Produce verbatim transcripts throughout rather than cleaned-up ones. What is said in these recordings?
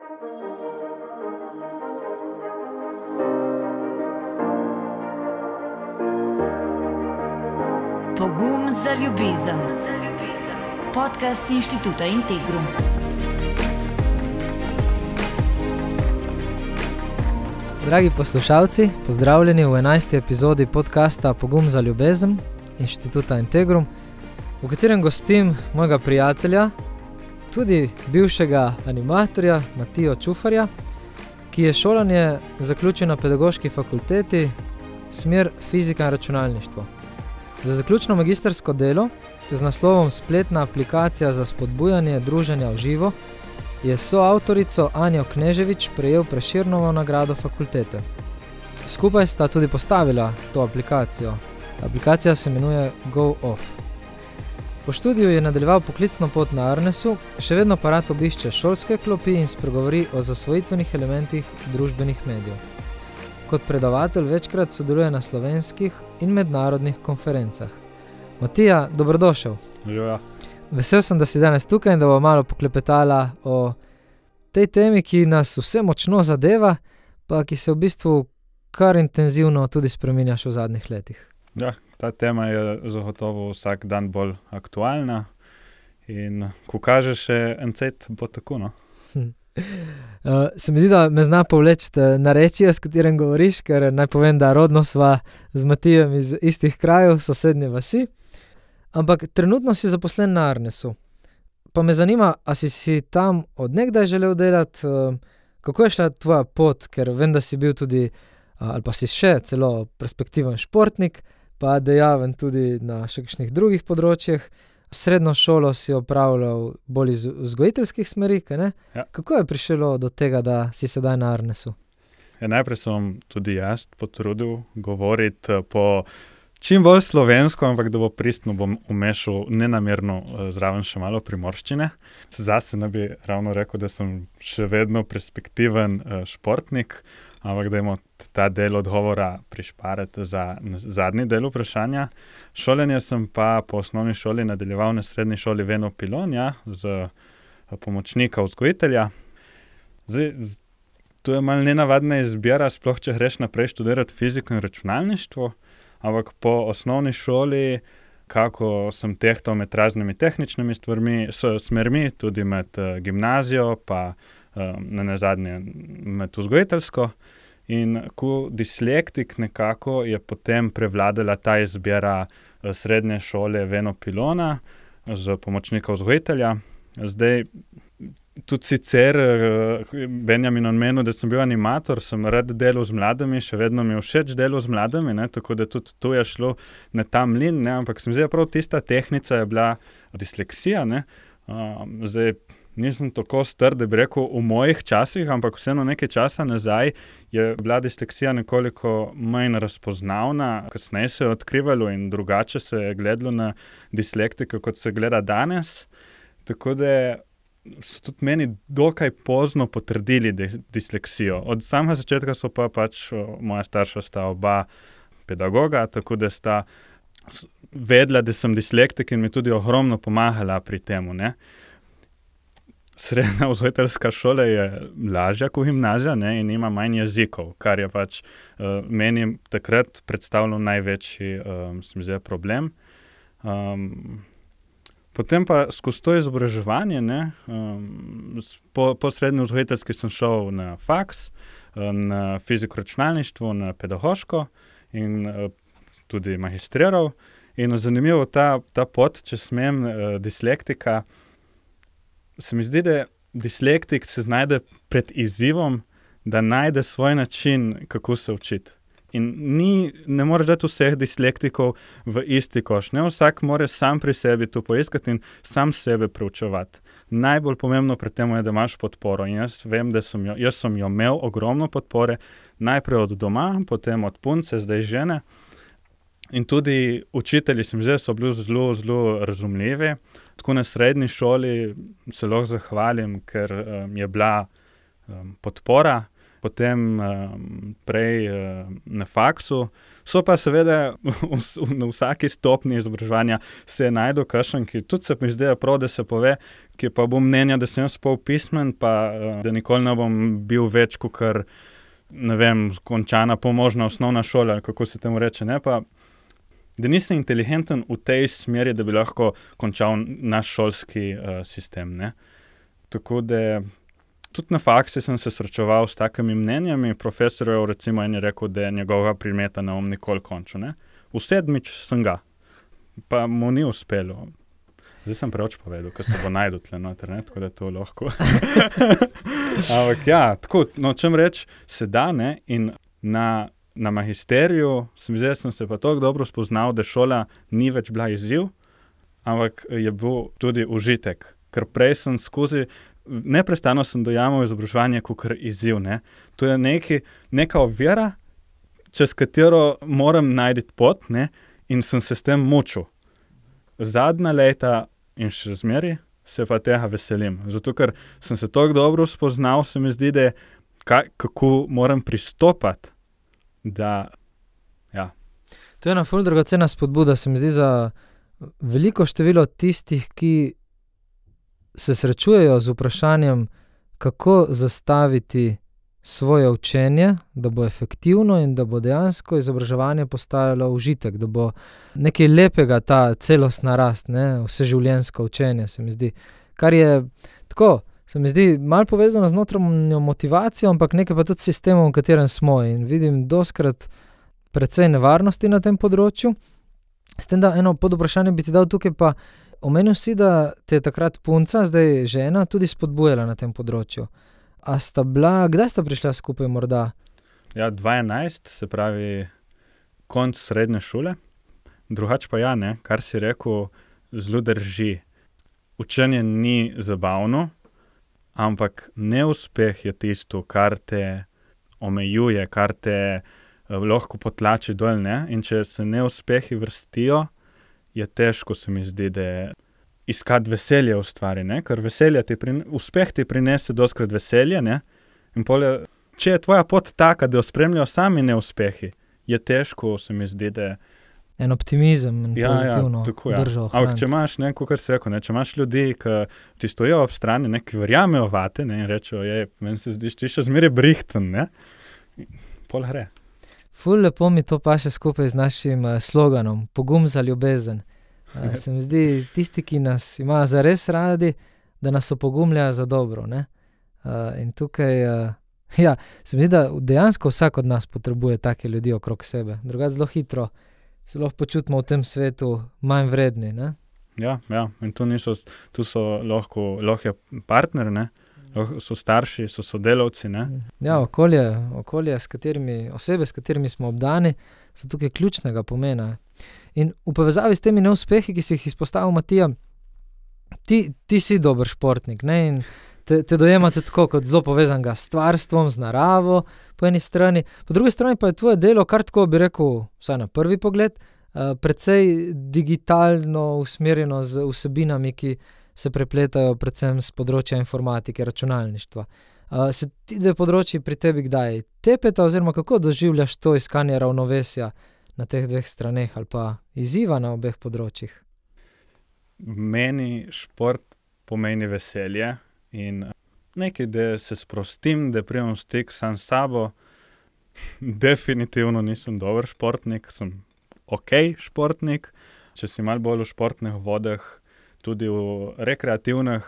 Pogum za ljubezen. Podcast Inštituta Integrum. Dragi poslušalci, pozdravljeni v enajsti epizodi podcasta Pogum za ljubezen Inštituta Integrum, v katerem gostim mojega prijatelja, tudi bivšega animatorja Matijo Čufarja, ki je šolanje zaključil na Pedagoški fakulteti, smer fizika in računalništvo. Za zaključno magistrsko delo z naslovom Spletna aplikacija za spodbujanje druženja v živo je soavtorico Anjo Kneževič prejel Prešernovo nagrado fakultete. Skupaj sta tudi postavila to aplikacijo. Aplikacija se imenuje GoOff. Po študiju je nadaljeval poklicno pot na Arnesu, še vedno pa rad obišče šolske klopi in spregovori o zasvojitvenih elementih družbenih medijev. Kot predavatelj večkrat sodeluje na slovenskih in mednarodnih konferencah. Matija, dobrodošel. Živa. Vesel sem, da si danes tukaj in da bo malo poklepetala o tej temi, ki nas vse močno zadeva, pa ki se v bistvu kar intenzivno tudi spreminjaš v zadnjih letih. Ja, ta tema je zagotovo vsak dan bolj aktualna in ko kaže še encet, bo tako, no. Hm. Uh, se mi zdi, da me zna povleči narečje, s katerim govoriš, ker naj povem, da rodno sva z Matijem iz istih krajev, sosednje vasi, ampak trenutno si zaposlen na Arnesu. Pa me zanima, a si si tam od nekdaj želel delati, uh, kako je šla tvoja pot, ker vem, da si bil tudi, uh, ali pa si še celo perspektiven športnik, pa dejaven tudi na še kakšnih drugih področjih. Srednjo šolo si opravljal bolj iz vzgojiteljskih smeri, kaj ne? Ja. Kako je prišlo do tega, da si sedaj na Arnesu? Ja, najprej sem tudi jaz potrudil govoriti po čim bolj slovensko, ampak da bo pristno, bom umešal nenamerno zraven še malo primorščine. Zase ne bi ravno rekel, da sem še vedno perspektiven športnik, ampak da imamo ta del odgovora prišparati za zadnji del vprašanja. Šolanje sem pa po osnovni šoli nadaljeval na srednji šoli Veno Pilonja z pomočnika vzgojitelja. Zdaj, to je malo nenavadna izbira, sploh če greš naprej študirati fiziko in računalništvo, ampak po osnovni šoli, kako sem tehtal med raznimi tehničnimi stvarmi, smermi, tudi med uh, gimnazijo, pa uh, na nazadnje med vzgojiteljsko. In ko dislektik nekako je potem prevladala ta izbira uh, srednje šole Veno Pilona z pomočnika vzgojitelja. Zdaj, tudi sicer uh, Benjamin omenil, da sem bil animator, sem rad delal z mladimi, še vedno mi je všeč delal z mladimi, ne, tako da tudi tu je šlo na ta mlin, ne, ampak sem zdaj prav tista tehnica je bila disleksija, ne, uh, zdaj nisem tako star, da bi rekel v mojih časih, ampak vseeno nekaj časa nazaj je bila disleksija nekoliko manj razpoznavna, kasneje se je odkrivalo in drugače se je gledalo na dislektike, kot se gleda danes, tako da so tudi meni dokaj pozno potrdili disleksijo. Od samega začetka so pa pač moja starša sta oba pedagoga, tako da sta vedela, da sem dislektik in mi tudi ogromno pomagala pri temu, ne. Srednja vzgojiteljska šola je lažja kot gimnazija, ne, in ima manj jezikov, kar je pač uh, meni takrat predstavljal največji um, se mi zdi, problem. Um, Potem pa skozi to izobraževanje, ne, um, po, po srednji vzgojiteljski sem šel na faks, na fiziko računalništvo, na pedagoško in uh, tudi magistriral. In zanimivo ta, ta pot, če smem, uh, dislektika, se mi zdi, da dislektik se znajde pred izzivom, da najde svoj način, kako se učiti. In ni, ne moreš dati vseh dislektikov v isti koš. Ne, vsak mora sam pri sebi to poiskati in sam sebe preučevati. Najbolj pomembno pri tem je, da imaš podporo. In jaz vem, da sem jo, jaz sem jo imel ogromno podpore, najprej od doma, potem od punce, zdaj žene. In tudi učitelji se mi zdaj so bili zelo, zelo razumljivi. Tako na srednji šoli se lahko zahvalim, ker um, je bila um, podpora. potem um, prej uh, na faksu. So pa seveda v, v, na vsaki stopni izobraževanja se najdu kakšen, ki tudi se mi zdi prav, da se pove, ki pa bom mnenja, da sem jaz pol pismen, pa uh, da nikoli ne bom bil več kakor, ne vem, končana pomožna osnovna šola, kako se temu reče, ne pa, da nisem inteligenten v tej smeri, da bi lahko končal naš šolski uh, sistem, ne. Tako da tudi na faksi sem se srečeval s takimi mnenjami, profesor je recimo en je rekel, da je njegovega predmeta ne bom nikoli končal, ne. V sedmič sem ga, pa mu ni uspelo. Zdaj sem preveč povedal, ker se bo najdel tle noter, ne, tako da to lahko. Ampak ja, tako, no, čem reč, se da, ne, in na, na magisteriju sem, zdaj sem se pa tako dobro spoznal, da šola ni več bila izziv, ampak je bil tudi užitek, ker prej sem skozi neprestano sem dojamal izobraževanje kakor izziv, ne. To je neki, neka ovira, čez katero moram najti pot, ne, in sem se s tem mučil. Zadnja leta in še zmeri se pa tega veselim. Zato, ker sem se tako dobro spoznal, se mi zdi, da kaj, kako moram pristopati, da, ja. To je ena ful dragocena spodbuda, se mi zdi za veliko število tistih, ki se srečujejo z vprašanjem, kako zastaviti svoje učenje, da bo efektivno in da bo dejansko izobraževanje postajalo užitek, da bo nekaj lepega ta celostna rast, ne, vseživljenjsko učenje, se mi zdi. Kar je tako, se mi zdi malo povezano z notranjo motivacijo, ampak nekaj pa tudi s sistemom, v katerem smo, in vidim doskrat precej nevarnosti na tem področju. S tem, da eno podvprašanje bi ti dal tukaj pa, omenil si, da te je takrat punca, zdaj žena, tudi spodbujala na tem področju. A sta bila, kdaj sta prišla skupaj morda? Ja, dva enajst, se pravi konc srednje šole. Drugač pa ja, ne, kar si rekel, zelo drži. Učenje ni zabavno, ampak neuspeh je tisto, kar te omejuje, kar te eh, lahko potlači dol, ne. In če se neuspehi vrstijo, je težko, se mi zdi, da iskati veselje v stvari, ne, ker veselje ti prine, uspeh ti prinese doskrat veselje, ne, in pole, če je tvoja pot taka, da jo spremljajo sami neuspehi, je težko, se mi zdi, da en optimizem in ja, pozitivno ja, tako, ja. držo ohraniti. Ampak če imaš, ne, kakor si rekel, ne, če imaš ljudi, ki ti stojijo ob strani, ne, ki verjamejo vate, ne, in rečejo, je, meni se zdiš ti še zmeraj brihten, ne, pol gre. Ful lepo mi to paše skupaj z našim uh, sloganom, pogum za ljubezen. Uh, se mi zdi, tisti, ki nas imajo zares radi, da nas opogumljajo za dobro, ne. Uh, in tukaj, uh, ja, se mi zdi, da dejansko vsak od nas potrebuje take ljudi okrog sebe. Drugače zelo hitro se lahko počutimo v tem svetu manj vredni, ne. Ja, ja, in tu niso, tu so lahko, lahko je partner, ne, lahko so starši, so sodelavci, ne. Ja, okolje, okolje, s katerimi, osebe, s katerimi smo obdani, so tukaj ključnega pomena. In v povezavi s temi neuspehi, ki si jih izpostavil, Matija, ti, ti si dober športnik, ne, in te, te dojemate tako kot zelo povezanega s stvarstvom, z naravo, po eni strani, po drugi strani pa je tvoje delo, kar tako bi rekel, vsaj na prvi pogled, uh, precej digitalno usmerjeno z vsebinami, ki se prepletajo predvsem z področja informatike, računalništva. Uh, se ti dve področji pri tebi kdaj tepeta, oziroma kako doživljaš to iskanje ravnovesja na teh dveh straneh ali pa izziva na obeh področjih? Meni šport pomeni veselje in nekaj, da se sprostim, da pridem v stik sam s sabo. Definitivno nisem dober športnik, sem okej športnik. Če si malo bolj v športnih vodah, tudi v rekreativnih,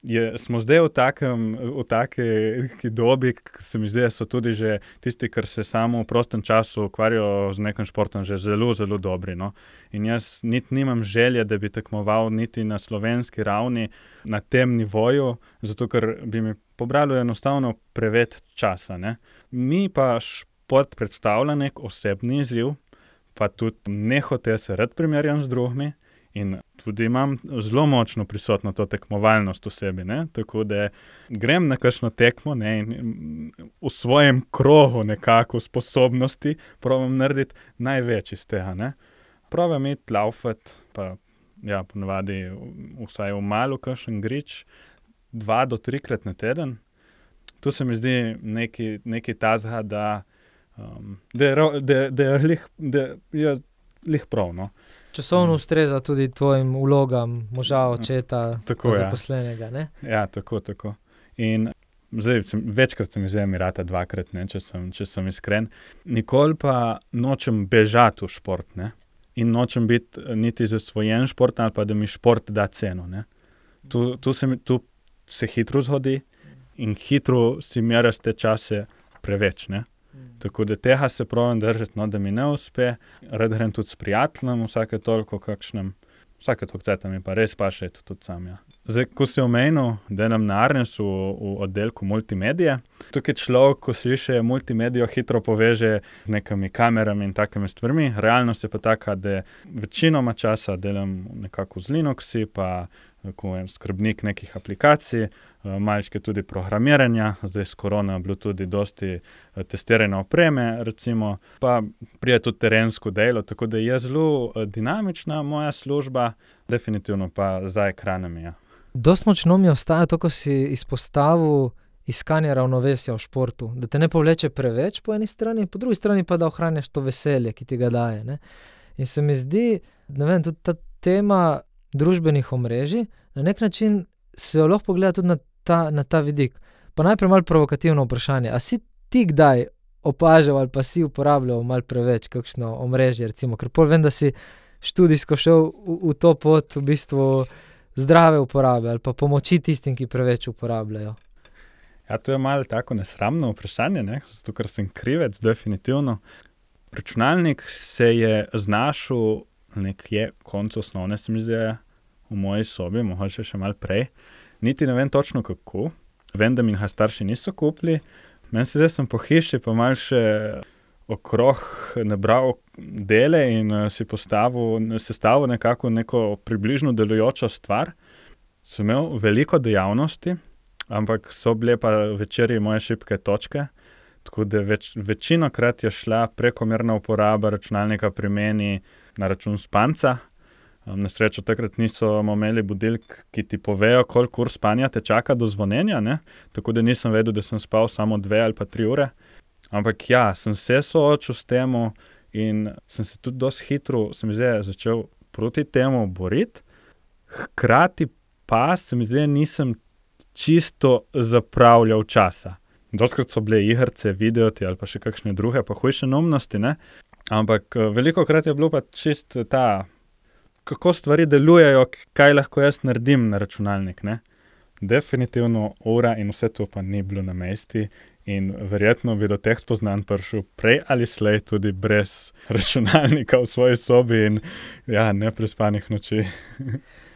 je, smo zdaj v takem, v taki dobi, ki se mi zdi, da so tudi že tisti, ki se samo v prostem času ukvarjajo z nekim športom, že zelo, zelo dobri, no. In jaz niti nimam želje, da bi tekmoval niti na slovenski ravni na tem nivoju, zato ker bi mi pobralo enostavno preveč časa, ne. Mi pa šport predstavlja nek osebni izziv, pa tudi nehote se rad primerjam z drugimi, in tudi imam zelo močno prisotno to tekmovalnost v sebi, ne, tako da grem na kakšno tekmo, ne, in v svojem krogu nekako sposobnosti probam narediti največ iz tega, ne. Probam iti laufat, pa ja, ponavadi vsaj v malo kakšen grič, dva do trikrat na teden. tu se mi zdi nekaj, nekaj tazga, da, um, da je, ro- da, da je lih, da je lih prav, no. Časovno ustreza tudi tvojim vlogam moža, očeta, Tako, pa ja. zaposlenega, ne? Ja, tako, tako. In zdaj, sem, večkrat sem izvzel Emirata, dvakrat, ne, če sem, če sem iskren. Nikoli pa nočem bežati v šport, ne. In nočem biti niti zasvojen šport, ali pa da mi šport da ceno, ne. Tu, tu, se, mi- tu se hitro zgodi in hitro si meraš te čase preveč, ne. Tako da tega se pravim držati, no, da mi ne uspe. Rad grem tudi s prijateljem, vsake toliko kakšnem, vsake toliko cajta mi pa res paše iti tudi sam, ja. Zdaj, ko si omenil, delam na Arnesu v, v oddelku multimedije. Tukaj človek, ko sliši multimedijo, hitro poveže z nekimi kamerami in takimi stvarmi. Realnost je pa taka, da večinoma časa delam nekako z Linuxi, pa ko je skrbnik nekih aplikacij, malčke tudi programiranja, zdaj s korona je bilo tudi dosti testiranja opreme, recimo, pa prije tudi terensko delo, tako da je zelo dinamična moja služba, definitivno pa za ekranami, ja. Dost močno mi ostaja to, ko si izpostavil iskanje ravnovesja v športu, da te ne povleče preveč po eni strani, po drugi strani pa da ohranjaš to veselje, ki ti ga daje, ne. In se mi zdi, ne vem, tudi ta tema družbenih omrežij, na nek način se jo lahko pogleda tudi na ta, na ta vidik. Pa najprej malo provokativno vprašanje, a si ti kdaj opažal ali pa si uporabljal malo preveč kakšno omrežje, recimo, ker pol vem, da si študijsko šel v, v to pot v bistvu zdrave uporabe ali pa pomoči tistim, ki preveč uporabljajo. Ja, to je malo tako nesramno vprašanje, ne, zato ker sem krivec, definitivno. Računalnik se je znašel nekje koncu osnovne, se mi zdi, v moji sobi, mogoče še malo prej. Niti ne vem točno kako, vem, da mi ga starši niso kupili. Meni se zdaj sem po hiši pa malo še okrog nabral dele in uh, si postavil, sestavil nekako neko približno delujočo stvar. Sem imel veliko dejavnosti, ampak so bile pa večeri moje šibke točke, tako da več, večinokrat je šla prekomerna uporaba računalnika pri meni na račun spanca. Um, na srečo takrat niso imeli budilk, ki ti povejo, koliko ur spanja te čaka do zvonjenja, ne? Tako da nisem vedel, da sem spal samo dve ali pa tri ure. Ampak ja, sem se soočil s temu in sem se tudi dosti hitro, se mi zdi, začel proti temu boriti. Hkrati pa se mi zdi, nisem čisto zapravljal časa. Dostikrat so bile igrice, videoti ali pa še kakšne druge, pa hujše neumnosti, ne? Ampak velikokrat je bilo pa čisto ta, kako stvari delujejo, kaj lahko jaz naredim na računalnik, ne? Definitivno ura in vse to pa ni bilo na mesti in verjetno bi do teh spoznanj prišel prej ali slej tudi brez računalnika v svoji sobi in ja, neprespanih noči.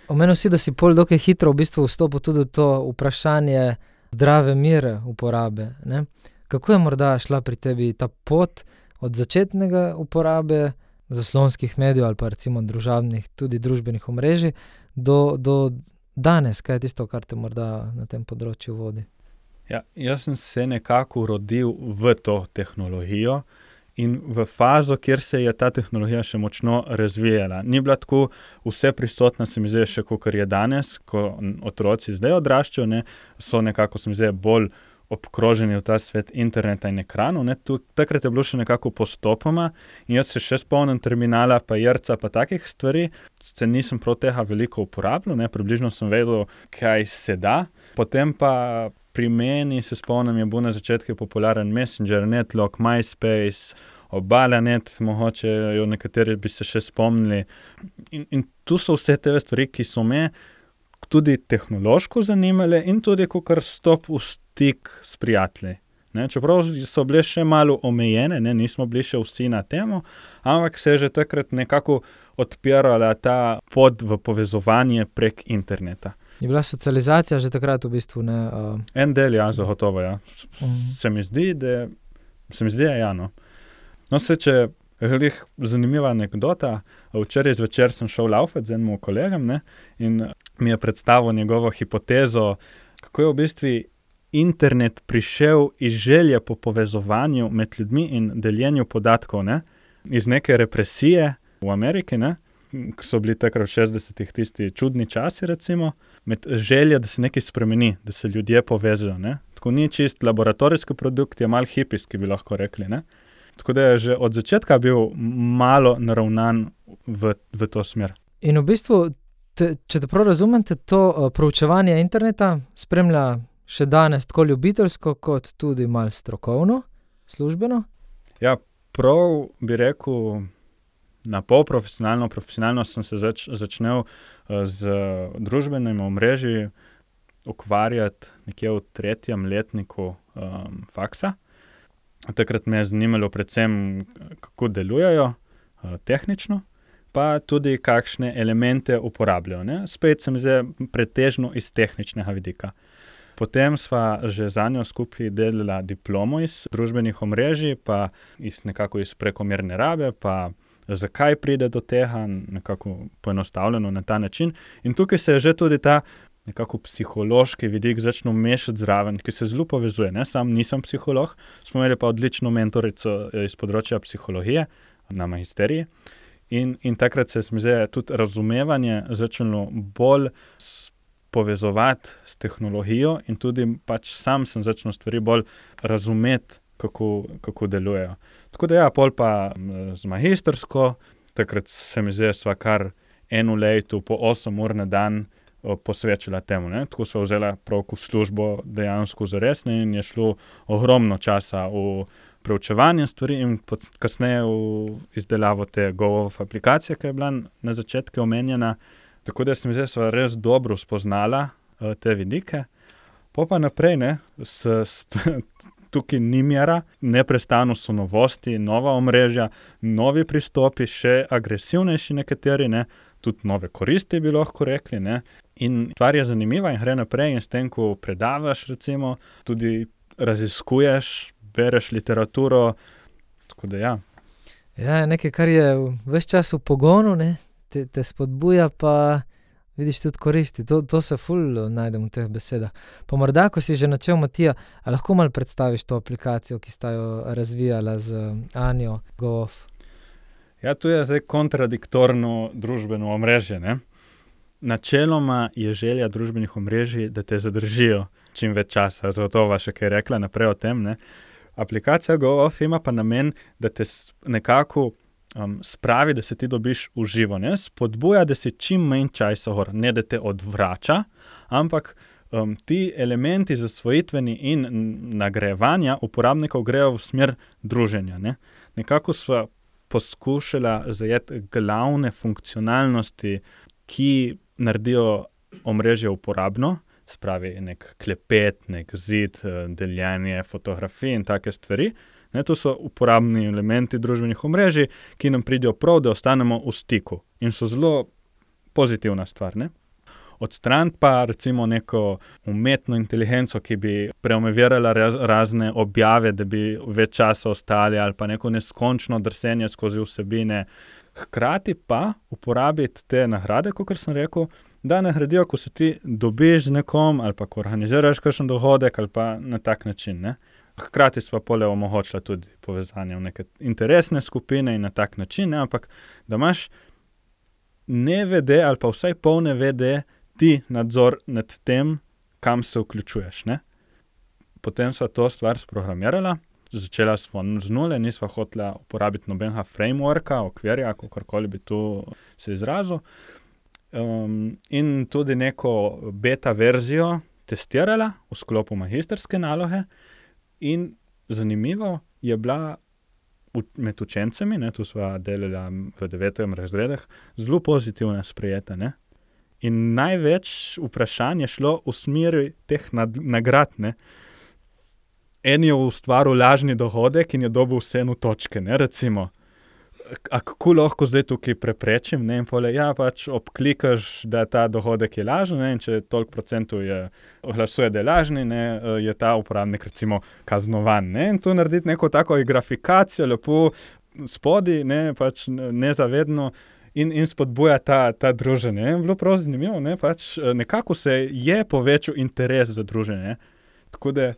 Omenil si, da si pol dokaj hitro v bistvu vstopil tudi v to vprašanje zdrave mere uporabe, ne? Kako je morda šla pri tebi ta pot od začetnega uporabe zaslonskih medijev ali pa recimo družabnih, tudi družbenih omrežij, do, do danes, kaj je tisto, kar te morda na tem področju vodi? Ja, jaz sem se nekako rodil v to tehnologijo in v fazo, kjer se je ta tehnologija še močno razvijala. Ni bila tako vse prisotna, se mi zdi, še kakor je danes, ko otroci zdaj odraščajo, ne, so nekako, se mi zdi, bolj obkroženi v ta svet interneta in ekranov, ne, tu, takrat je bilo še nekako postopoma in jaz se še spomnim terminala, pa jerca, pa takih stvari, se nisem prav tega veliko uporabljal, ne, približno sem vedel, kaj se da, potem pa pri meni, se spomnim, je bil na začetku popularen Messenger, Netlog, MySpace, Obala.net, mogoče jo nekateri bi se še spomnili in, in tu so vse te stvari, ki so me tudi tehnološko zanimale in tudi kakor stop v stik s prijatelji. Ne, čeprav so bile še malo omejene, ne, nismo bili še vsi na temo, ampak se je že takrat nekako odpirala ta pot v povezovanje prek interneta. Je bila socializacija že takrat v bistvu, ne? Uh... En del, ja, zagotovo, ja. S- Mhm. Se mi zdi, da se mi zdi, ja, no. No, se če glih zanimiva anekdota, včeraj zvečer sem šel laufat z enim kolegom, ne, in mi je predstavil njegovo hipotezo, kako je v bistvu internet prišel iz želje po povezovanju med ljudmi in deljenju podatkov, ne, iz neke represije v Ameriki, ne, ko so bili takrat v šestdesetih tisti čudni časi, recimo, med željo, da se nekaj spremeni, da se ljudje povežejo, ne. Tako bistvu ni čist laboratorijski produkt, je malo hipijski, bi lahko rekli, ne. Tako da je že od začetka bil malo naravnan v, v to smer. In v bistvu, te, če te prav razumem, te to uh, proučevanje interneta spremlja še danes tako ljubiteljsko, kot tudi malo strokovno, službeno? Ja, prav bi rekel, na pol profesionalno, profesionalno sem se zač, začnel uh, z družbenimi omrežji ukvarjati nekje v tretjem letniku um, faksa. Takrat me je zanimalo predvsem, kako delujejo uh, tehnično, pa tudi kakšne elemente uporabljajo, ne. Spet se mi zdi pretežno iz tehničnega vidika. Potem sva že za njo skupaj delala diplomo iz družbenih omrežij, pa iz nekako iz prekomerne rabe, pa zakaj pride do tega, nekako poenostavljeno na ta način. In tukaj se je že tudi ta nekako psihološki vidik začne mešati zraven, ki se zelo povezuje, ne. Sam nisem psiholog, smo imeli pa odlično mentorico iz področja psihologije na magisteriji. In, in takrat se mi zdi tudi razumevanje začelo bolj povezovati s tehnologijo in tudi pač sam sem začel stvari bolj razumeti, kako, kako delujejo. Tako da ja, pol pa z magistersko, takrat se mi zdi, sva kar eno leto po osem ur na dan posvečala temu, ne. Tako sva vzela prav službo dejansko zares, ne, in je šlo ogromno časa v preučevanje stvari in kasneje v izdelavo te Go-off aplikacije, ki je bila na začetku omenjena. Tako da se mi zdi, sva res dobro spoznala uh, te vidike. Po pa naprej, ne, s, s, tukaj ni mera, neprestano so novosti, nova omrežja, novi pristopi, še agresivnejši nekateri, ne, tudi nove koristi bi lahko rekli, ne. In stvar je zanimiva in gre naprej in s tem, ko predavaš, recimo, tudi raziskuješ, bereš literaturo, tako da ja. Ja, nekaj, kar je ves čas v pogonu, ne, te, te spodbuja, pa vidiš tudi koristi. To, to se ful najdem v teh besedah. Pa morda, ko si že načel, Matija, a lahko malo predstaviš to aplikacijo, ki sta jo razvijala z Anjo Go-off? Ja, to je zdaj kontradiktorno družbeno omrežje, ne. Načeloma je želja družbenih omrežij, da te zadržijo čim več časa, zato va še kaj rekla naprej o tem, ne. Aplikacija Go-off ima pa namen, da te nekako um, spravi, da se ti dobiš v živo, ne, spodbuja, da si čim manj časa gor, ne da te odvrača, ampak um, ti elementi zasvojitveni in nagrajevanja uporabnikov grejo v smer druženja, ne. Nekako sva poskušala zajeti glavne funkcionalnosti, ki naredijo omrežje uporabno, spravi nek klepet, nek zid, deljenje fotografij in take stvari. Ne, to so uporabni elementi družbenih omrežij, ki nam pridejo prav, da ostanemo v stiku in so zelo pozitivna stvar, ne. Odstraniti pa recimo neko umetno inteligenco, ki bi preomovirala raz, razne objave, da bi več časa ostali, ali pa neko neskončno drsenje skozi vsebine. Hkrati pa uporabiti te nagrade, kakor sem rekel, da nagradijo, ko se ti dobiš z nekom, ali pa ko organiziraš kakšen dogodek, ali pa na tak način, ne. Hkrati sva pole omogočila tudi povezanje v neke interesne skupine in na tak način, ne, ampak da imaš nevede ali pa vsaj pol nevede ti nadzor nad tem, kam se vključuješ, ne. Potem sva to stvar sprogramirala, začela sva z nule, nisva hotela uporabiti nobenega frameworka, okvirja, kakorkoli bi tu se izrazil. Um, in tudi neko beta verzijo testirala v sklopu magisterske naloge in zanimivo je bila med učencami, ne, tu sva delala v devetem razredah, zelo pozitivno sprejeta, ne. In največ vprašanj je šlo v smeri teh nad, nagrad, ne. En je ustvaril lažni dohodek in je dobil vseeno točke, ne, recimo. A kako lahko zdaj tukaj preprečim, ne, in pole, ja, pač obklikaš, da ta dohodek je lažen, ne, in če toliko procentov je, glasuje, da je lažni, ne, je ta uporabnik recimo kaznovan, ne, in tu narediti neko tako grafikacijo, lepo spodi, ne, pač nezavedno, In, in spodbuja ta, ta druženje. Je bilo prav zanimivo, ne, pač nekako se je povečal interes za druženje. Tako da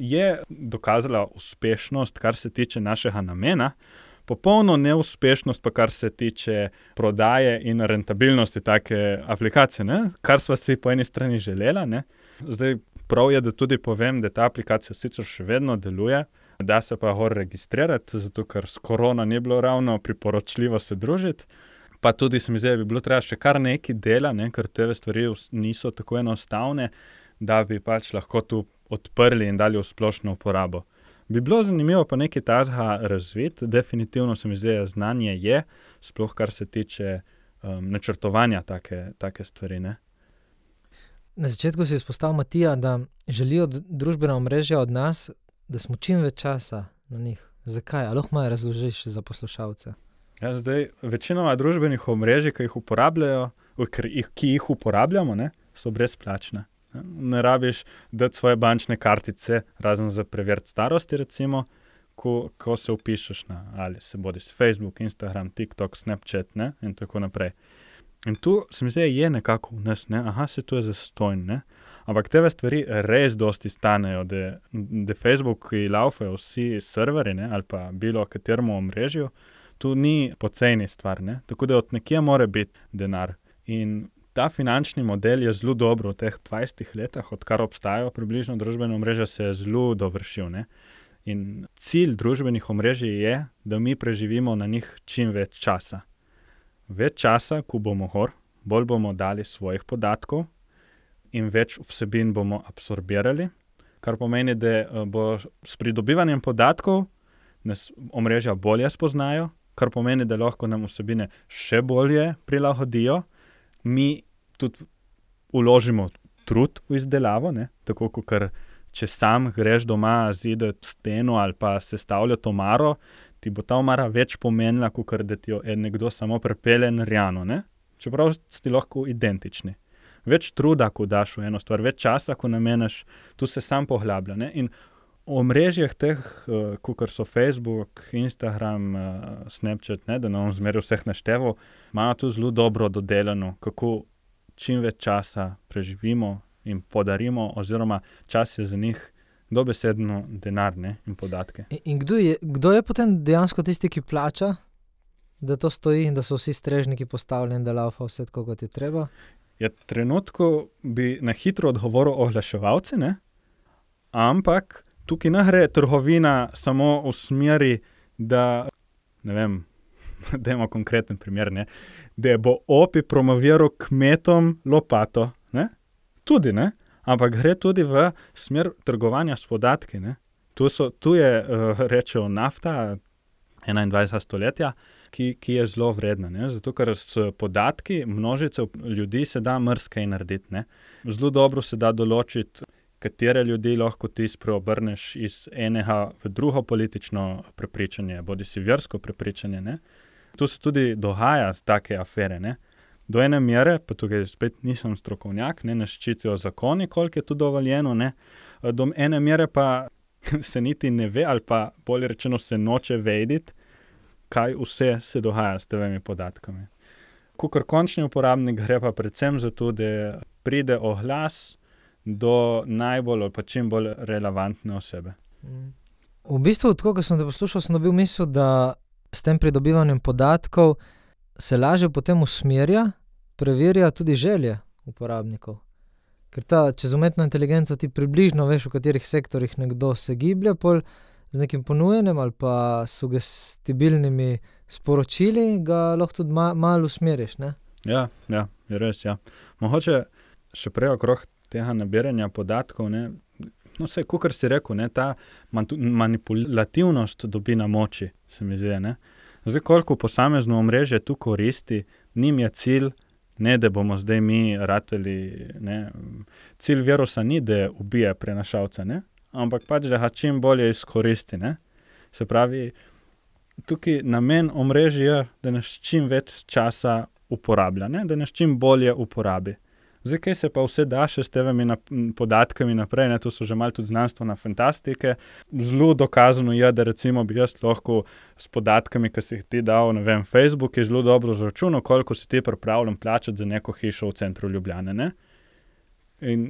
je dokazala uspešnost, kar se tiče našega namena, popolno neuspešnost pa kar se tiče prodaje in rentabilnosti take aplikacije, ne, kar sva si po eni strani želela, ne. Zdaj prav je, da tudi povem, da ta aplikacija sicer še vedno deluje, da se pa gor registrirati, zato ker s korona ni bilo ravno priporočljivo se družiti. Pa tudi se mi zdi, da bi bilo treba še kar nekaj dela, ne, ker te stvari niso tako enostavne, da bi pač lahko tu odprli in dali v splošno uporabo. Bi bilo zanimivo pa nekaj tazga razviti, definitivno se mi zdi, da znanje je, sploh kar se tiče um, načrtovanja take, take stvari, ne. Na začetku si izpostavil, Matija, da želijo družbena omrežja od nas, da smo čim več časa na njih. Zakaj? A lahko malo razložiš za poslušalce? Ja, zdaj, večinoma družbenih omrežij, ki jih uporabljajo, ki jih uporabljamo, ne, so brezplačne. Ne rabiš dati svoje bančne kartice, razen za preveriti starosti, recimo, ko, ko se vpišeš na ali se bodi s Facebook, Instagram, TikTok, Snapchat, ne, in tako naprej. In tu se mi zdi, je nekako v nas, ne, aha, se to je zastojn, ne, ampak te stvari res dosti stanejo, da, da Facebook laufajo vsi serveri, ne, ali pa bilo kateremu omrežju, tu ni poceni stvar, ne, tako da od nekje mora biti denar. In ta finančni model je zelo dobro v teh dvajsetih letih, odkar obstajajo približno družbene omrežja, se je zelo dovršil, ne. In cilj družbenih omrežij je, da mi preživimo na njih čim več časa. Več časa, ko bomo gor, bolj bomo dali svojih podatkov in več vsebin bomo absorbirali, kar pomeni, da bo s pridobivanjem podatkov nas omrežja bolje spoznajo, kar pomeni, da lahko nam vsebine še bolje prilagodijo. Mi tudi vložimo trud v izdelavo, ne? Tako kot če sam greš doma zidati steno ali pa sestavljati omaro, ti bo ta omara več pomenila, kot da ti jo je nekdo samo pripelje narejeno, ne? Čeprav sti lahko identični. Več truda, ko daš v eno stvar, več časa, ko nameniš, tu se sam poglablja, ne? In v omrežjih teh, uh, kot so Facebook, Instagram, uh, Snapchat, ne, da ne bom zmeraj vseh našteval, imajo tu zelo dobro dodelano, kako čim več časa preživimo in podarimo, oziroma čas je za njih dobesedno denar, ne, in podatke. In, in kdo je, kdo je potem dejansko tisti, ki plača, da to stoji in da so vsi strežniki postavljeni, da laufa vse tako, kot je treba? Ja, trenutku bi na hitro odgovoril oglaševalci, ne, ampak tukaj ne gre trgovina samo v smeri, da, ne vem, dajmo konkreten primer, ne, da bo Opi promoviral kmetom lopato, ne, tudi, ne, ampak gre tudi v smer trgovanja s podatki, ne. Tu, so, tu je, uh, rečejo, nafta enaindvajsetega stoletja, ki, ki je zelo vredna, ne, zato ker s podatki množice ljudi se da marsikaj narediti, ne. Zelo dobro se da določiti, katere ljudi lahko ti spreobrneš iz enega v drugo politično prepričanje, bodi si versko prepričanje, ne. Tu se tudi dogaja take afere, ne. Do ene mere, pa tukaj spet nisem strokovnjak, ne, nas ščitijo zakoni, koliko je tu dovoljeno, ne. Do ene mere pa se niti ne ve, ali pa bolje rečeno se noče vedeti, kaj vse se dogaja s temi podatkami. Kakor končni uporabnik gre pa predvsem za to, da pride oglas do najbolj ali pa čim bolj relevantne osebe. V bistvu, tako, ko sem te poslušal, sem dobil misel, da s tem pridobivanjem podatkov se lažje potem usmerja, preverja tudi želje uporabnikov. Ker ta, čez umetno inteligenco ti približno veš, v katerih sektorjih nekdo se giblje, pol z nekim ponujenjem ali pa sugestibilnimi sporočili ga lahko tudi ma, malo usmeriš, ne? Ja, ja, je res, ja. Mogoče še prej okrog tega nabiranja podatkov, ne, no vse, kakor si rekel, ne, ta manipulativnost dobi na moči, se mi zdi, ne. Zdaj, koliko posamezno omrežje tu koristi, njim je cilj, ne, da bomo zdaj mi rateli, ne, cilj virusa ni, da ubije prenašalca, ne, ampak pač, da ga čim bolje izkoristi, ne. Se pravi, tukaj namen omrežja je, da nas čim več časa uporablja, ne, da nas čim bolje uporabi. Zdaj, kaj se pa vse da še s temi podatkami naprej, ne, to so že malo tudi znanstvena fantastike. Zelo dokazano je, da recimo bi jaz lahko s podatkami, ki si jih ti dal, ne vem, Facebook je zelo dobro zračunal, koliko si ti pripravljen plačati za neko hišo v centru Ljubljane, ne. In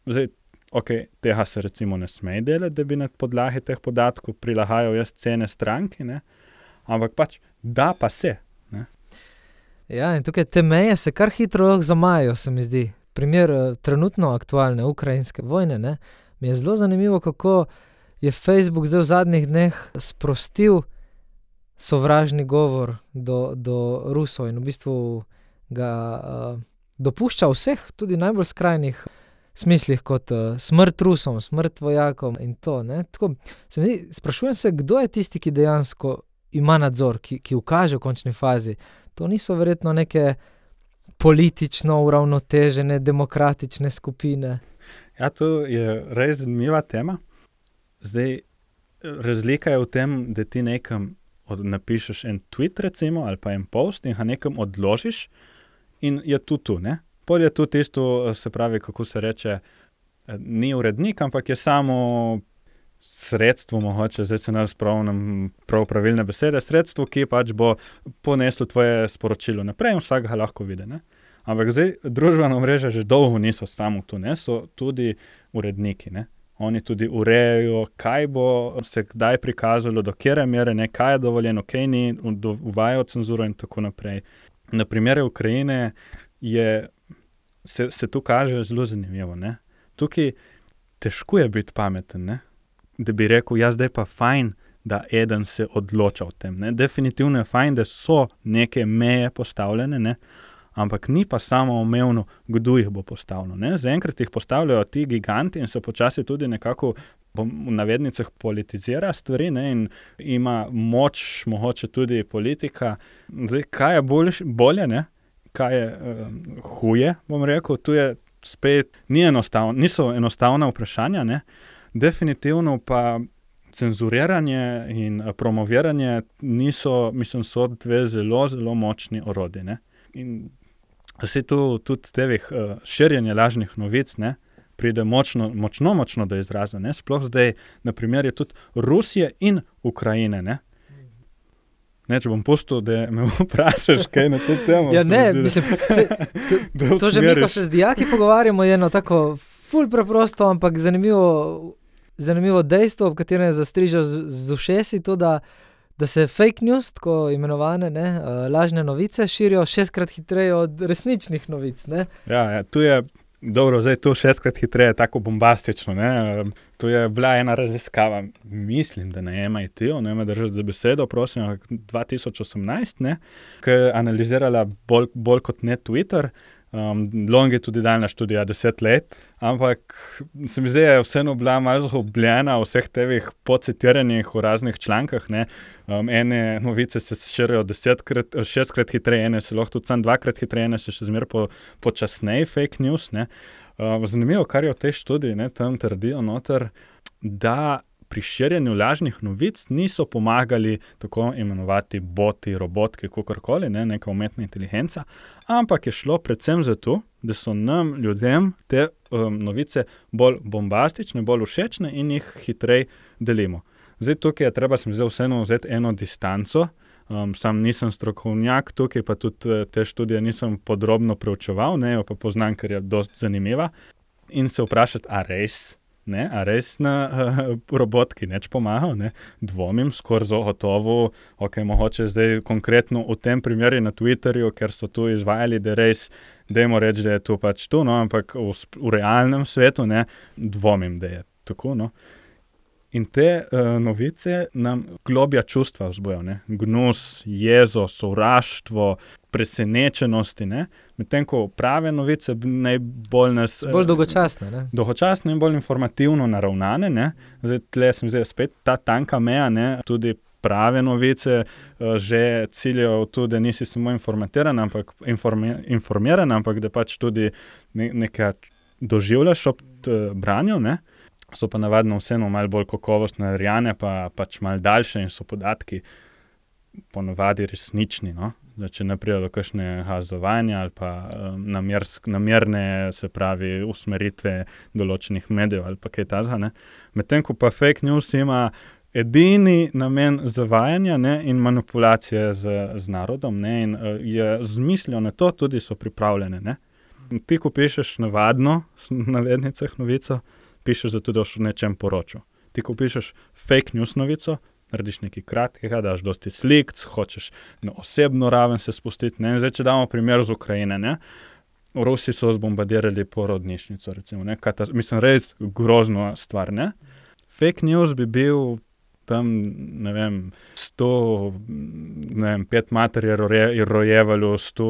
zdaj, ok, tega se recimo ne sme delati, da bi na podlagi teh podatkov prilagajal jaz cene stranki, ne, ampak pač da pa se. Ja, in tukaj te meje se kar hitro lahko zamajajo, se mi zdi. primer trenutno aktualne ukrajinske vojne, ne, mi je zelo zanimivo, kako je Facebook zdaj v zadnjih dneh sprostil sovražni govor do, do Rusov in v bistvu ga uh, dopušča vseh, tudi najbolj skrajnih smislih, kot uh, smrt Rusom, smrt vojakom in to. Ne. Tako, se mi, sprašujem se, kdo je tisti, ki dejansko ima nadzor, ki, ki ukaže v končni fazi. To niso verjetno neke politično uravnotežene, demokratične skupine. Ja, to je res zanimiva tema. Zdaj, razlika je v tem, da ti nekam od, napišeš en tweet, recimo, ali pa en post in ga nekam odložiš in je tu tu, ne? Pol je tu tisto, se pravi, kako se reče, ni urednik, ampak je samo sredstvo, mogoče, zdaj se ne spomnim prav pravilne besede, sredstvo, ki pač bo poneslo tvoje sporočilo naprej in vsak ga lahko vidi, ne? Ampak zdaj, družbena mreža že dolgo niso samo tu, ne? So tudi uredniki, ne? Oni tudi urejajo, kaj bo se kdaj prikazalo, do kjere mere, ne, kaj je dovoljeno, kaj ni, uvajajo cenzuro in tako naprej. Na primere Ukrajine je, se, se tu kaže zelo zanimivo, ne. Tukaj težko je biti pameten, ne, da bi rekel, ja, zdaj pa fajn, da eden se odloča o tem, ne. Definitivno je fajn, da so neke meje postavljene, ne, ampak ni pa samo omejeno, kdo jih bo postavljeno, ne. Zaenkrat jih postavljajo ti giganti in se počasi tudi nekako v navednicah politizira stvari, ne, in ima moč, mogoče tudi politika. Zdaj, kaj je bolj, bolje, ne, kaj je um, huje, bom rekel, tu je spet, ni enostavno, niso enostavna vprašanja, ne, definitivno pa cenzuriranje in promoviranje niso, mislim, so dve zelo, zelo močni orodji, ne. In se tu tudi tevih uh, širjenje lažnih novic, ne, pride močno, močno, močno do izraza, ne, sploh zdaj, na primer, je tudi Rusije in Ukrajine, ne. Ne, če bom pustil, da me vprašaš, kaj na to temo. Ja, ne, zdi, mislim, se, to, to že mi, ko se z dijaki pogovarjamo, je eno tako ful preprosto, ampak zanimivo, zanimivo dejstvo, v katerem je zastrižal z, z ušesi, to, da da se fake news, tako imenovane, ne, lažne novice, širijo šestkrat hitreje od resničnih novic, ne. Ja, ja, tu je, dobro, zdaj tu šestkrat hitreje, tako bombastično, ne. Tu je bila ena raziskava, mislim, da ne M I T-u, ne me držati za besedo, prosim, dva tisoč osemnajst, ne, ki je analizirala bolj, bolj kot ne Twitter, um, longitudinalna študija deset let, ampak se mi zdi, je vseeno bila malo zgubljena v vseh tevih pocitiranih v raznih člankah, ne. Um, ene novice se širijo desetkrat, šestkrat hitreje, ene se lahko tudi sam dvakrat hitreje, ene se še zmer po, počasneje fake news, ne. Um, zanimivo, kar je v tej študiji, ne, tam trdijo noter, da pri širjenju lažnih novic niso pomagali tako imenovati boti, robotki, kakorkoli, ne, neka umetna inteligenca, ampak je šlo predvsem za to, da so nam, ljudem, te um, novice bolj bombastične, bolj všečne in jih hitreje delimo. Zdaj tukaj je treba, sem zdaj vseeno vzeti eno distanco, um, sam nisem strokovnjak tukaj, pa tudi te študije nisem podrobno preučeval, ne, jo pa poznam, ker je dosti zanimiva, in se vprašati, a res? Ne, a res na uh, robotki neč pomagal, ne, dvomim, skoraj zagotovo, ok, mogoče zdaj konkretno v tem primeru na Twitterju, ker so tu izvajali, da res, dajmo reči, da je to pač tu, no, ampak v, v realnem svetu, ne, dvomim, da je tako, no. In te uh, novice nam globja čustva vzbojo, ne, gnus, jezo, sovraštvo, presenečenosti, ne, medtem ko prave novice najbolj nas... Bolj dolgočasne, ne. Dolgočasne in bolj informativno naravnane, ne, zdaj tle sem zdaj spet ta tanka meja, ne, tudi prave novice uh, že ciljajo tudi, da nisi samo informatiran, ampak informi, informiran, ampak da pač tudi ne, nekaj doživljaš ob branju, ne. So pa navadno vseeno malo bolj kakovostne narejene, pa pač malo daljše in so podatki ponavadi resnični, no. Zdaj, če ne pride do kakšne hazovanja ali pa um, namersk, namerne, se pravi, usmeritve določenih medijev ali pa kaj tazga, ne. Medtem ko pa fake news ima edini namen zavajanja, ne, in manipulacije z, z narodom, ne, in uh, je z mislijo na to tudi so pripravljene, ne. Ti, ko pišeš navadno, na navednicah novico, pišeš zato, da boš o nečem poročal. Ti, ko pišeš fake news novico, narediš nekaj kratkega, daš dosti slik, hočeš na osebno raven se spustiti, ne. Zdaj, če damo primer z Ukrajine, ne. Rusi so zbombardirali porodnišnico, recimo, ne, Katas- mislim, res grozno stvar, ne. Fake news bi bil tam, ne vem, sto, ne vem, pet mater je roje, rojevalo, sto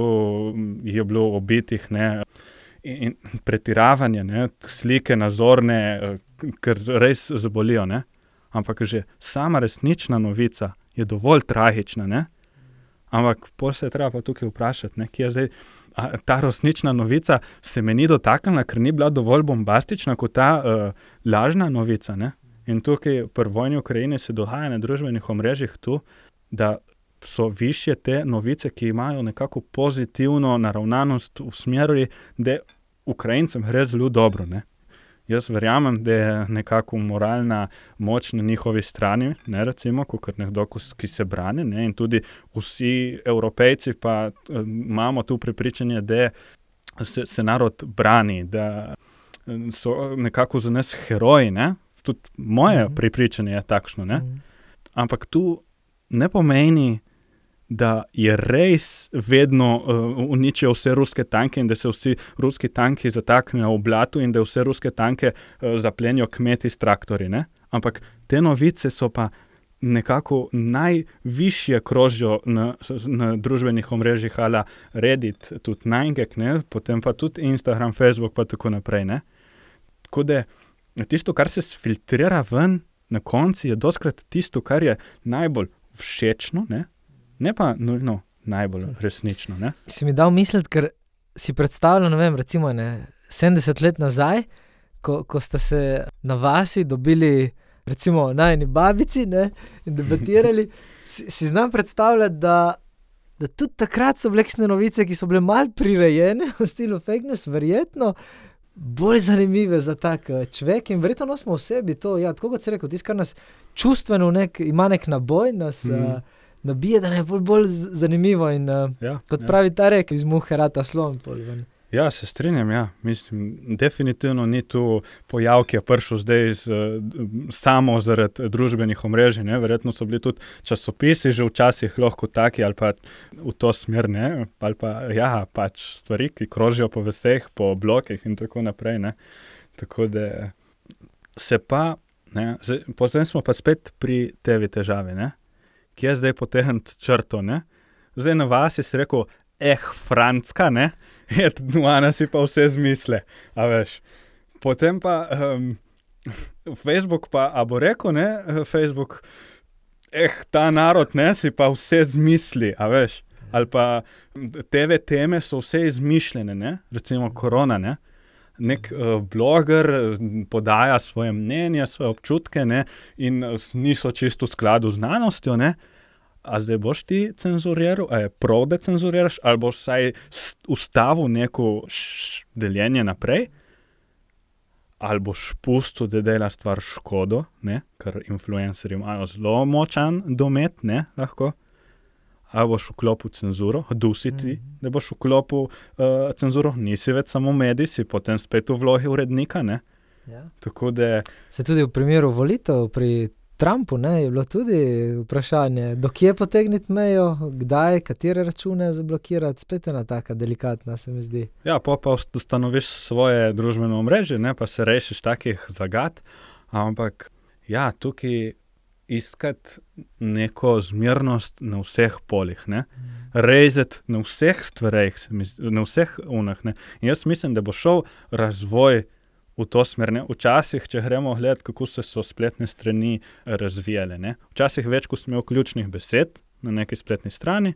je bilo obitih, ne, in, in pretiravanje, ne, slike nazorne, ker res zabolijo, ne, ampak že sama resnična novica je dovolj tragična, ne, ampak pol se je treba pa tukaj vprašati, ne, kje je zdaj, a, ta resnična novica se me ni dotaknila, ker ni bila dovolj bombastična kot ta uh, lažna novica, ne. In tukaj pri vojni v Ukrajini se dogaja na družbenih omrežjih tu, da so višje te novice, ki imajo nekako pozitivno naravnanost v smeri, da Ukrajincem gre zelo dobro, ne. Jaz verjamem, da je nekako moralna moč na njihovi strani, ne, recimo, kot nekdo, ki se brani, ne, in tudi vsi Evropejci pa uh, imamo tu prepričanje, da se, se narod brani, da so nekako za nas heroji, ne. Tudi moje mm-hmm. prepričanje je takšno, ne. Mm-hmm. Ampak tu ne pomeni, da je res vedno uh, uničijo vse ruske tanke in da se vsi ruski tanki zataknejo v blatu in da vse ruske tanke uh, zaplenijo kmeti s traktorji, ne. Ampak te novice so pa nekako najvišje krožijo na, na družbenih omrežjih ala Reddit, tudi Najgek, ne, potem pa tudi Instagram, Facebook pa tako naprej, ne. Tako da tisto, kar se sfiltrira ven na konci, je doskrat tisto, kar je najbolj všečno, ne, ne pa nujno najbolj resnično, ne. Si mi dal misliti, ker si predstavljal, ne vem, recimo ne, sedemdeset let nazaj, ko, ko sta se na vasi dobili recimo najini babici, ne, in debatirali, si, si znam predstavljati, da, da tudi takrat so bile kakšne novice, ki so bile malo prirejene v stilu fake news, verjetno bolj zanimive za tak človek in verjetno nosimo v sebi to, ja, tako kot si rekel, tisto, kar nas čustveno nek, ima nek naboj, nas mm. uh, nabije, da ne je bolj, bolj zanimivo in uh, ja, kot ja. pravi ta rek, iz muhe rata slon. Pol, ja, se strinjam, ja. Mislim, definitivno ni tu pojav, ki je prišel zdaj z, samo zaradi družbenih omrežij, ne. Verjetno so bili tudi časopisi že včasih lahko taki ali pa v to smer, ne, ali pa, ja, pač stvari, ki krožijo po vseh, po blokih in tako naprej, ne. Tako da se pa, ne, potem smo pa spet pri tevi težavi, ne. Kje je zdaj potegniti črto, ne. Zdaj na vas je si rekel, eh, Francka, ne, je dvana si pa vse zmisle, a veš. Potem pa um, Facebook pa, a bo rekel, ne, Facebook, eh, ta narod, ne, si pa vse zmisli, a veš. Ali pa te ve teme so vse izmišljene, ne, recimo korona, ne. Nek uh, bloger podaja svoje mnenje, svoje občutke, ne, in niso čisto v skladu z znanostjo, ne. A zdaj boš ti cenzuriral, a je prav, da cenzuriraš, ali boš vsaj ustavil neko š- deljenje naprej, ali boš pustil, da dela stvar škodo, ne, ker influencerji imajo zelo močan domet, ne, lahko, ali boš vklopil cenzuro, dusiti, mm-hmm. da boš vklopil uh, cenzuro, nisi več samo medij, si potem spet v vlogi urednika, ne. Ja. Tako da... Se tudi v primeru volitev pri Trumpu, ne, je bilo tudi vprašanje, do kje potegniti mejo, kdaj, katere račune zablokirati, spet ena taka delikatna, se mi zdi. Ja, pa pa ustanoviš svoje družbeno omrežje, ne, pa se rešiš takih zagad, ampak ja, tukaj iskati neko zmernost na vseh polih, ne, rezati na vseh stvareh, na vseh unah, ne, in jaz mislim, da bo šel razvoj v to smer, ne. Včasih, če gremo gledati, kako se so spletne strani razvijale, ne. Včasih več, ko sem imel ključnih besed na neki spletni strani,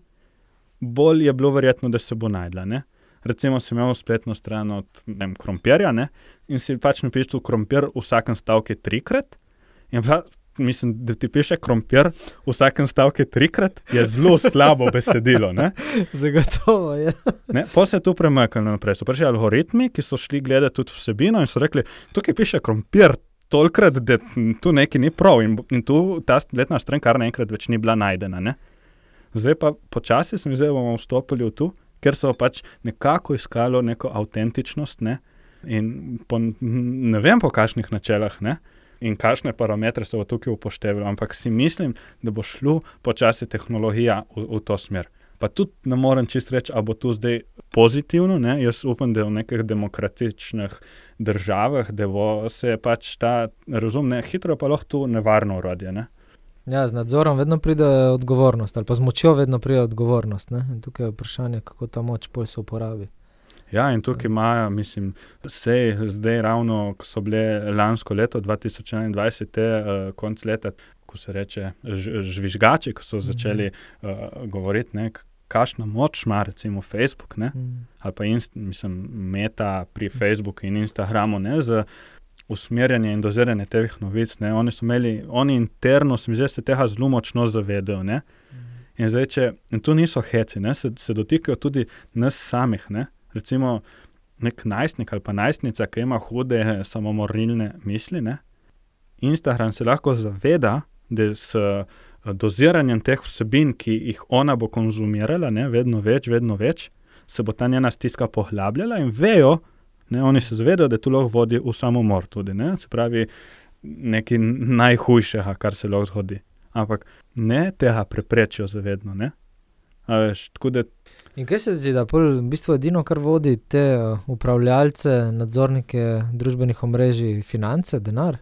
bolj je bilo verjetno, da se bo najdla, ne. Recimo sem imel spletno stran od, ne vem, krompirja, ne, in si pač napisal krompir v vsakem stavku trikrat, in pa, mislim, da ti piše krompir v vsakem stavku trikrat, je zelo slabo besedilo, ne. Zagotovo, ja. Ne, pa se je tu premaknilo naprej. So prišli algoritmi, ki so šli gledati tudi vsebino in so rekli, tukaj piše krompir tolikrat, da tu nekaj ni prav in, in tu ta spletna stran kar naenkrat več ni bila najdena, ne. Zdaj pa počasi sem zdaj bomo vstopili v tu, ker so pač nekako iskalo neko avtentičnost, ne, in po, ne vem po kakšnih načelah, ne, in kakšne parametre so tukaj upoštevali, ampak si mislim, da bo šlo počasi tehnologija v, v to smer. Pa tudi ne morem čist reči, a bo tu zdaj pozitivno, ne? Jaz upam, da v nekih demokratičnih državah, da bo se pač ta razum, ne, hitro pa lahko tu nevarno orodje, ne? Ja, z nadzorom vedno pride odgovornost, ali pa z močjo vedno pride odgovornost, ne? In tukaj je vprašanje, kako ta moč pol se uporabi. Ja, in tukaj imajo, mislim, sej zdaj ravno, ko so bile lansko leto, dva tisoč enaindvajset, te uh, konc leta, ko se reče ž, žvižgači, ko so začeli uh, govoriti, ne, kakšna moč ima recimo Facebook, ne, Mm. ali pa inst, mislim, Meta pri Facebooku in Instagramu, ne, za usmerjanje in doziranje teh novic, ne, oni so imeli, oni interno, se mi zdi, se tega zelo močno zavedajo, ne, in zdaj, če, in tu niso heci, ne, se, se dotikajo tudi nas samih, ne, recimo nek najstnik ali pa najstnica, ki ima hude samomorilne misli, ne, Instagram se lahko zaveda, da s doziranjem teh vsebin, ki jih ona bo konzumirala, ne, vedno več, vedno več, se bo ta njena stiska poglabljala in vejo, ne, oni se zavedajo, da to lahko vodi v samomor tudi, ne, se pravi nekaj najhujšega, kar se lahko zgodi. Ampak ne tega preprečijo zavedno, ne. A veš, tako da In kaj se zdi, da pol v bistvu edino, kar vodi te uh, upravljalce, nadzornike družbenih omrežij, finance, denar?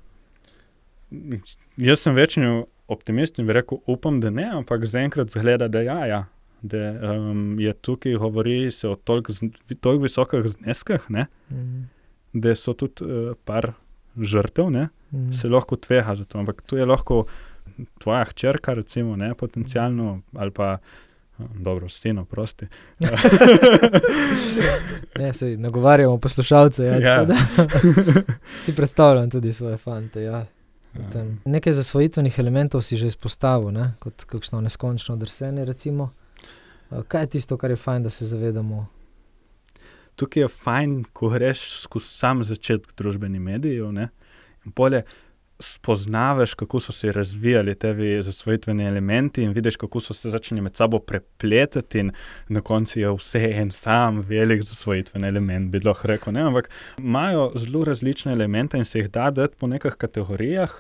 Jaz sem večni optimist in bi rekel, upam, da ne, ampak zaenkrat zgleda, da ja, ja. Da um, je tukaj, govori se o toliko, toliko visokih zneskah, ne, Mm. da so tudi uh, par žrtev, ne, Mm. se lahko tvega za to, ampak tu je lahko tvoja hčerka, recimo, ne, potencialno, ali pa, dobro, sino, prosti. Ne, sej nagovarjamo poslušalce, ja, Ja. tako da si predstavljam tudi svoje fante, ja. Potem, nekaj zasvojitvenih elementov si že izpostavil, ne, kot kakšno neskončno drsenje, recimo. Uh, Kaj je tisto, kar je fajn, da se zavedamo? Tukaj je fajn, ko greš skozi sam začetek družbenih medijev, ne, in polje spoznavaš, kako so se razvijali tevi zasvojitveni elementi in vidiš, kako so se začeli med sabo prepletati in na koncu je vse en sam velik zasvojitveni element, bi lahko rekel, ne, ampak imajo zelo različne elemente in se jih da dati po nekih kategorijah.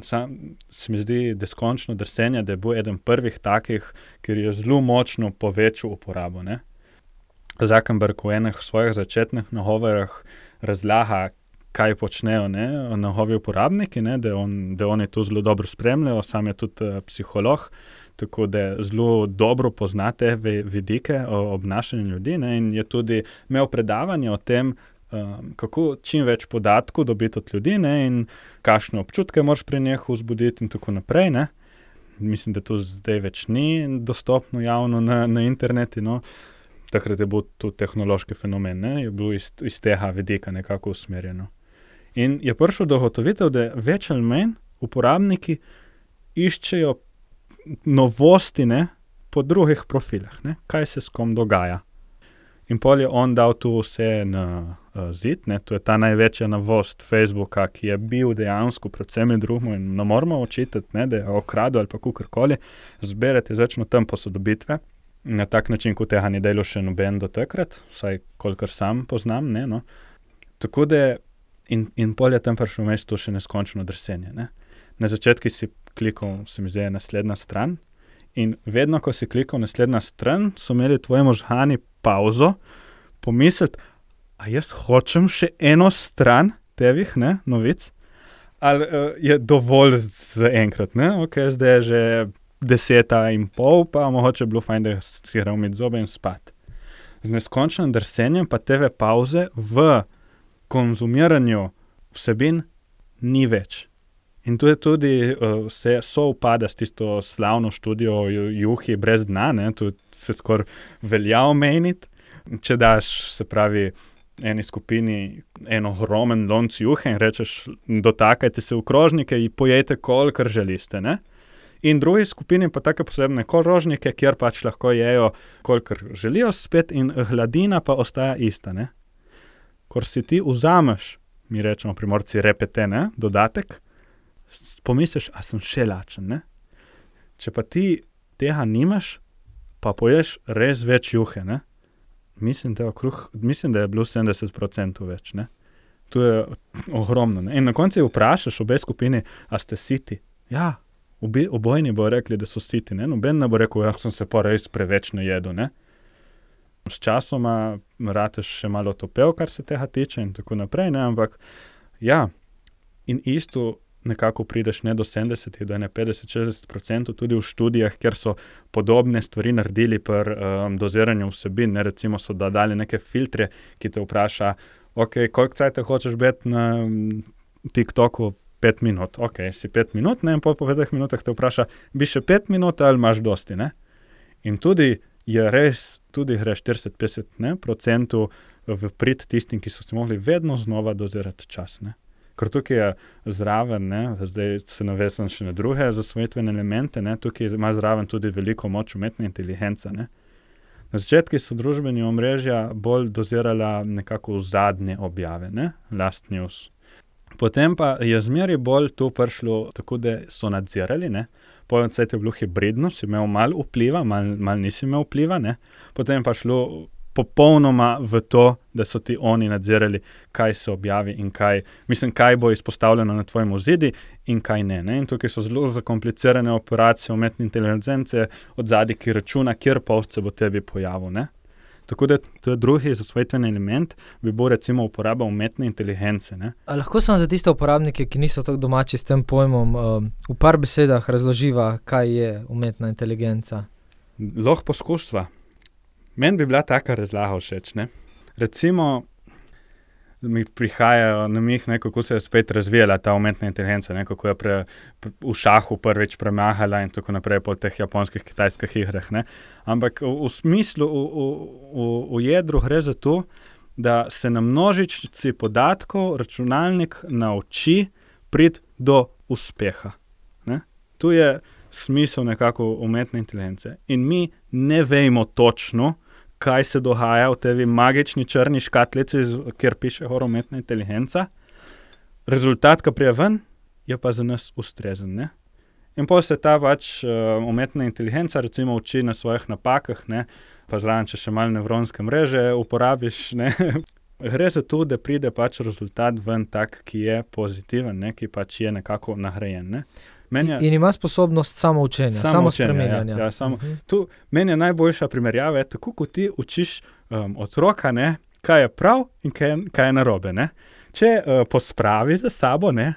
Sam se mi zdi, da skončno drsenje, da bo eden prvih takih, ker je zelo močno povečal uporabo, ne. Zuckerberg v enih svojih začetnih nagovorih razlaga, kaj počnejo, ne, njegovi uporabniki, ne, da, on, da oni to zelo dobro spremljajo, sam je tudi uh, psiholog, tako da zelo dobro pozna te vidike o obnašanju ljudi, ne, in je tudi imel predavanje o tem, um, kako čim več podatkov dobiti od ljudi, ne, in kakšne občutke moraš pri njih vzbuditi in tako naprej, ne. Mislim, da to zdaj več ni dostopno javno na, na internetu, no. Takrat je bil to tehnološki fenomen, ne, je bil iz, iz tega vidika nekako usmerjeno. In je prišel do ugotovitev, da več ali manj uporabniki iščejo novosti, ne, po drugih profilih, ne, kaj se s kom dogaja. In pol je on dal tu vse na uh, zid, ne, to je ta največja novost Facebooka, ki je bil dejansko predvsem drugmo in ne moramo očitati, ne, da je okradel ali pa kakorkoli, zberete začno tam posodobitve, na tak način, kot tega ni delo še noben do takrat, vsaj kolikor sam poznam, ne, no. Tako da in, in pol je tam prišel vmes to še neskončno drsenje, ne. Na začetku si klikal, se mi zdi, naslednja stran in vedno, ko si klikal naslednja stran, so imeli tvoji možgani pauzo, pomisliti, a jaz hočem še eno stran tevih, ne, novic, ali uh, je dovolj za enkrat, ne, ok, zdaj je že deseta in pol, pa mogoče bilo fajn, da si gre umiti zobe in spat. Z neskončnim drsenjem pa te pauze v konzumiranju vsebin ni več. In tu je tudi uh, vse sovpada s tisto slavno študijo juhi brez dna, ne, tu se skoraj velja omeniti. Če daš, se pravi, eni skupini en ogromen lonc juhe in rečeš, dotakajte se v krožnike in pojejte, kolikor želite, ne. In drugi skupini pa take posebne krožnike, kjer pač lahko jejo, kolikor želijo spet in hladina pa ostaja ista, ne. Ko si ti vzameš, mi rečemo Primorci repete, ne, dodatek, pomisliš, a sem še lačen, ne. Če pa ti tega nimaš, pa poješ res več juhe, ne. Mislim, da, okruh, mislim, da je bilo sedemdeset procentov več, ne. To je ogromno, ne. In na koncu vprašaš obe skupini, a ste siti? Ja, obi, obojni bo rekli, da so siti, ne. Noben ne bo rekel, ja, sem se pa res preveč najedel, ne. S časoma rateš še malo topel, kar se tega tiče in tako naprej, ne, ampak ja, in isto nekako prideš ne do sedemdeset, do petdeset do šestdeset procentov tudi v študijah, kjer so podobne stvari naredili pri um, doziranju vsebin, ne, recimo so da dali neke filtre, ki te vpraša, ok, koliko cajta hočeš biti na TikToku? Pet minut, ok, si pet minut, ne, in po, po petih minutah te vpraša, bi še pet minut ali imaš dosti, ne? In tudi je res, tudi gre štirideset do petdeset procentov v prid tistim, ki so se mogli vedno znova dozirati čas, ne? Ker tukaj je zraven, ne, zdaj se navesim še na druge zasvojitvene elemente, ne, tukaj ima zraven tudi veliko moč umetna inteligenca, ne. Na začetku so družbeni omrežja bolj dozirala nekako v zadnje objave, ne, last news. Potem pa je zmeri bolj to prišlo tako, da so nadzirali, ne. Potem se je bilo hibridno, si imel malo vpliva, malo mal nisi imel vpliva, ne. Potem pa šlo popolnoma v to, da so ti oni nadzirali, kaj se objavi in kaj, mislim, kaj bo izpostavljeno na tvojem ozidi in kaj ne, ne. In tukaj so zelo zakomplicirane operacije umetne inteligence od zadaj, ki računa, kjer post se bo tebi pojavil, ne. Tako da to je drugi zasvojitveni element, bi bo recimo uporaba umetne inteligence, ne. A lahko samo za tiste uporabnike, ki niso tako domači s tem pojmom, uh, v par besedah razloživa, kaj je umetna inteligenca? Lahko poskusva. Meni bi bila taka razlaga všeč, ne. Recimo, mi prihajajo na mih, ne, kako se je spet razvijala ta umetna inteligenca, ne, kako je pre, pre, v šahu prvič premahala in tako naprej po teh japonskih, kitajskih igrah, ne. Ampak v, v smislu, v, v, v jedru gre za to, da se na množici podatkov računalnik nauči priti do uspeha, ne. Tu je smisel nekako umetne inteligence. In mi ne vemo točno, kaj se dogaja v tevi magični črni škatlici, kjer piše gor umetna inteligenca. Rezultat, ki prije ven, je pa za nas ustrezen, ne. In potem se ta pač uh, umetna inteligenca recimo uči na svojih napakah, ne, pa zraven, če še malo nevronske mreže uporabiš, ne. Gre za to, da pride pač rezultat ven tak, ki je pozitiven, ne, ki pač je nekako nagrajen, ne. Je, in ima sposobnost samoučenja, samo spremenjanja. Ja, ja, samo, uh-huh. Tu meni je najboljša primerjava, je tako, kot ti učiš um, otroka, ne, kaj je prav in kaj, kaj je narobe, ne. Če uh, pospravi za sabo, ne,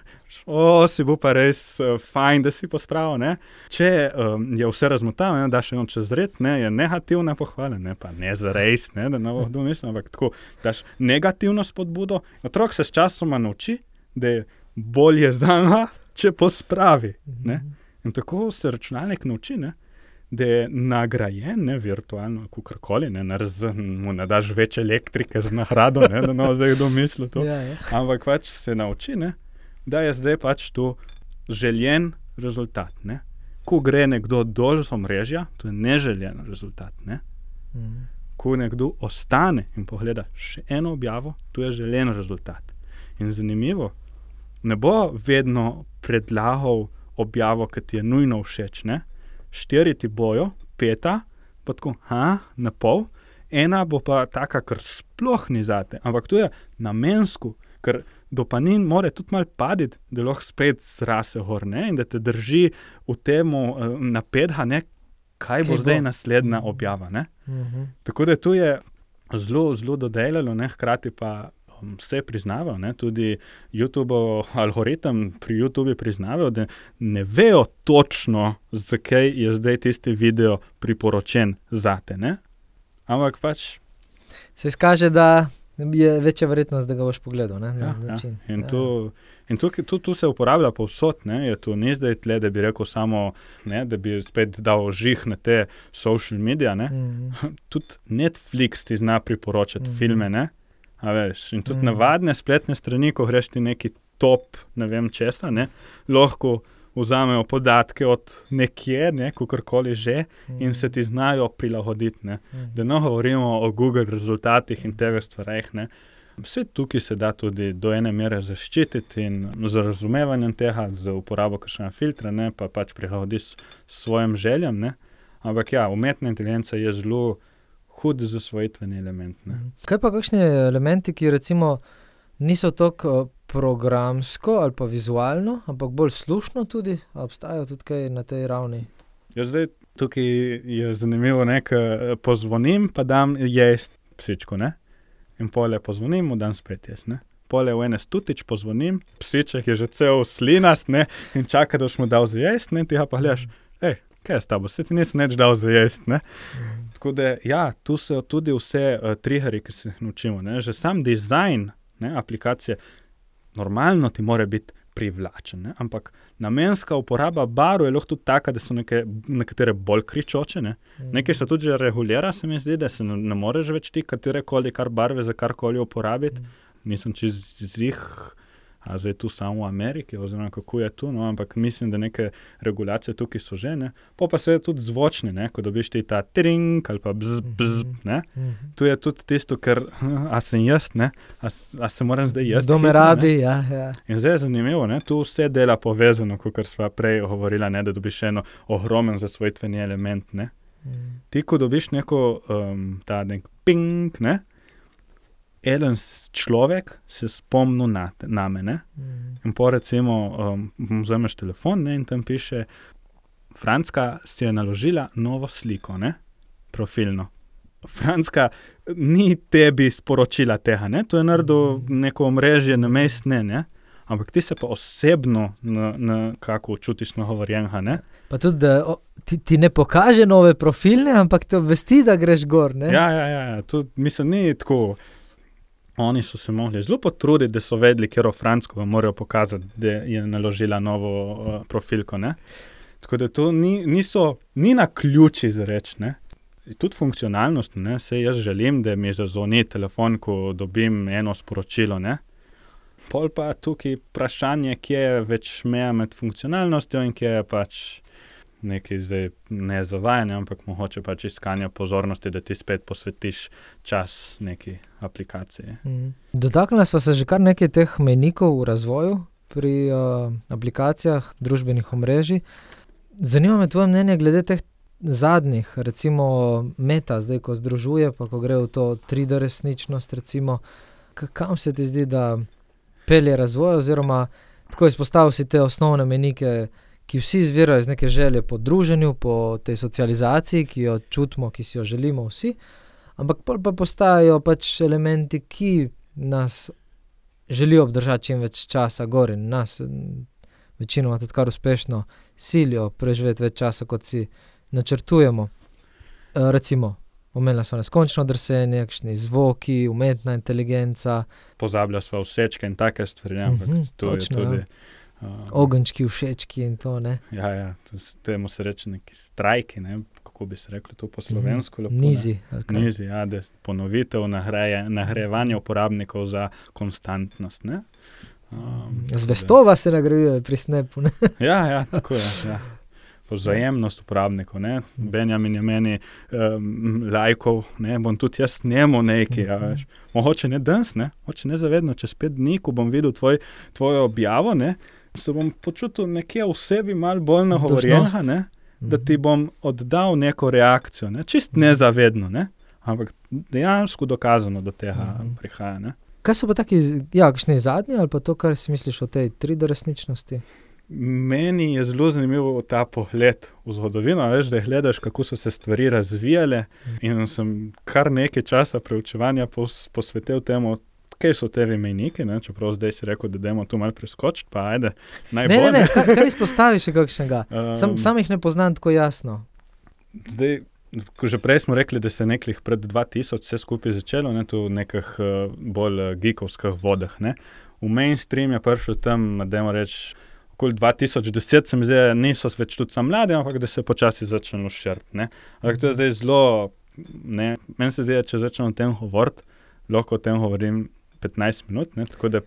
o, si bo pa res uh, fajn, da si pospravil, ne. Če um, je vse razmotano, ne, daš eno čez red, ne, je negativna pohvala, ne, pa ne za res, ne, da ne bo kdo mislil, ampak tako, daš negativno spodbudo, otrok se s časoma nauči, da je bolje za njega, če pospravi, ne. In tako se računalnik nauči, ne, da je nagrajen, ne, virtualno, kakorkoli, ne, mu ne daš več elektrike z nagrado, ne, da ne bo zdaj kdo mislil to, ja, ja. Ampak pač se nauči, ne, da je zdaj pač to željen rezultat, ne. Ko gre nekdo dol z omrežja, to je neželjen rezultat, ne. Mhm. Ko nekdo ostane in pogleda še eno objavo, to je željen rezultat. In zanimivo, ne bo vedno predlagal objavo, ki ti je nujno všeč, ne. Štiri ti bojo, peta, pa tako, ha, na pol, ena bo pa taka, ker sploh ni zate, ampak to je namensko, ker dopamin more tudi malo paditi, da lahko spet zrase gor, ne, in da te drži v temu uh, napetha, ne, kaj bo, kaj bo zdaj naslednja objava, ne. Uh-huh. Tako da tu je zelo, zelo dodelalo, ne, hkrati pa vse priznavajo, ne, tudi YouTube algoritem pri YouTube priznavajo, da ne vejo točno, zakaj je zdaj tisti video priporočen zate, ne. Ampak pač se izkaže, da je večja verjetnost, da ga boš pogledal, ne, na ja, način. Ja. In, ja. tu, in tu, tu, tu se uporablja povsod, ne, je tu ni zdaj tle, da bi rekel samo, ne, da bi spet dal žih na te social media, ne. Mm-hmm. Tudi Netflix ti zna priporočati mm-hmm. filme, ne. A veš, in tudi mm. navadne spletne strani, ko greš ti neki top, ne vem česa, ne, lahko vzamejo podatke od nekje, ne, kakorkoli že, mm. in se ti znajo prilagoditi, ne. Mm. Da ne govorimo o Google rezultatih in tega stvareh, ne. Vse tukaj se da tudi do ene mere zaščititi in z razumevanjem tega, z uporabo kakšnega filtra, ne, pa pač prilagodi s svojim željam, ne. Ampak ja, umetna inteligenca je zelo hud zasvojitveni element, ne. Kaj pa kakšni elementi, ki recimo niso toliko programsko ali pa vizualno, ampak bolj slušno tudi, a obstajajo tudi kaj na tej ravni? Ja, zdaj tukaj je zanimivo, ne, ko pozvonim, pa dam jest psičku, ne. In pole pozvonim, mu dam spet jaz, ne. Pole v ene stutič pozvonim, psiček je že cel slinast, ne, in čaka, da boš mu dal za jest, ne, ti ga pa gledaš, ej, kaj je s tabo, se ti nisem nič dal za jest, ne. Tako da, ja, tu so tudi vse uh, triggerji, ki se jih naučimo, ne, že sam dizajn, ne, aplikacije, normalno ti mora biti privlačen, ne, ampak namenska uporaba barv je lahko tudi taka, da so neke, nekatere bolj kričoče, ne. Nekaj se tudi že regulira, se mi zdi, da se ne, ne moreš več ti katerekoli kar barve za karkoli uporabiti. Nisem čez zih, a zdaj tu samo v Ameriki, oziroma kako je tu, no, ampak mislim, da neke regulacije tukaj so že, ne. Po pa seveda tudi zvočni, ne, ko dobiš ti ta tring ali pa bzz, bzz, ne. Tu je tudi tisto, ker, a sem jaz, ne, a, a se moram zdaj jaz Kdo me rabi, ja, ja. In zdaj je zanimivo, ne, tu vse dela povezano, kakor sva prej govorila, ne, da dobiš eno ogromen zasvojitveni element, ne. Mm. Ti, ko dobiš neko, um, ta nek ping, ne, eden človek se spomnil na, na me, ne? Mm. In po recimo, um, vzameš telefon, ne, in tam piše, Franska si je naložila novo sliko, ne, profilno. Franska ni tebi sporočila tega, ne, to je naredil neko omrežje namest, ne, ne, ampak ti se pa osebno na, na kako čutiš nagovorjenega, ne. Pa tudi, da o, ti, ti ne pokaže nove profilne, ampak te obvesti, da greš gor, ne. Ja, ja, ja, tu mislim, ni tako. Oni so se mogli zelo potruditi, da so vedeli, kjer o Fransko morajo pokazati, da je naložila novo uh, profilko, ne. Tako da to ni, niso, ni na ključi za reč, ne. Tudi funkcionalnost, ne, se jaz želim, da mi zazvoni telefon, ko dobim eno sporočilo, ne. Pol pa tukaj vprašanje, kje je več meja med funkcionalnostjo in kje je pač nekaj zdaj ne zavajanje, ampak mogoče pač iskanje pozornosti, da ti spet posvetiš čas neki aplikaciji. Mm. Dotaknila sva se že kar nekaj teh mejnikov v razvoju pri uh, aplikacijah družbenih omrežij. Zanima me tvoje mnenje glede teh zadnjih, recimo Meta, zdaj ko združuje, pa ko gre v to tri D resničnost, recimo, k- kam se ti zdi, da pelje razvoj, oziroma tako izpostavil si te osnovne mejnike, ki vsi izvirajo iz neke želje po druženju, po tej socializaciji, ki jo čutimo, ki si jo želimo vsi, ampak pa postajajo pač elementi, ki nas želijo obdržati čim več časa gor in nas večinoma tudi kar uspešno silijo preživeti več časa, kot si načrtujemo. E, recimo, omenila sva neskončno drsenje, kakšni zvoki, umetna inteligenca. Pozabila sva všečke in take stvari, ampak Mhm, to je točno, tudi... ja. Ogenčki, všečki in to, ne. Ja, ja, to, temu se reče neki strajki, ne, kako bi se rekli to po slovensko. Mhm. Lepo, Nizi. ali kaj? Nizi, ja, da je ponovitev nahreje, nagrajevanje uporabnikov za konstantnost, ne. Um, Zvestova se nagrajuje pri Snapu, ne. Ja, ja, tako je, ja. Vzajemnost uporabnikov, ne. Benjamin je meni um, lajkov, ne, bom tudi jaz njemu nekaj, ja, veš. Mogoče ne danes, ne, mogoče ne zavedno, čez pet dni, ko bom videl tvoj, tvojo objavo, ne, se bom počutil nekje v sebi malo bolj nagovorjenega, ne, da ti bom oddal neko reakcijo, ne, čist nezavedno, ne, ampak dejansko dokazano do tega prihaja, ne. Kaj so pa taki, ja, kakšni zadnji, ali pa to, kar si misliš o tej tri D resničnosti? Meni je zelo zanimivo ta pogled v zgodovino, veš, da gledaš, kako so se stvari razvijale, in sem kar nekaj časa preučevanja pos, posvetil temu, kaj so te mejniki, ne, čeprav zdaj si rekel, da dajmo tu malo preskočiti, pa ajde, najbolj. Ne, ne, ne, kar, kar izpostaviš še kakšnega. Um, Sam, sam jih ne poznam tako jasno. Zdaj, ko že prej smo rekli, da se nekih pred dva tisoč vse skupaj začelo, ne, tu v nekih uh, bolj uh, geekovskih vodah, ne. V mainstream je prišel tam, dajmo reči, okoli dva tisoč deset, se mi zdi, niso več tudi sam mladi, ampak da se je počasi začelo širiti, ne. Ampak to je zdaj zelo, ne, meni se zdi, če začnem o tem govoriti, lahko o tem govorim petnajst minut, ne, tako da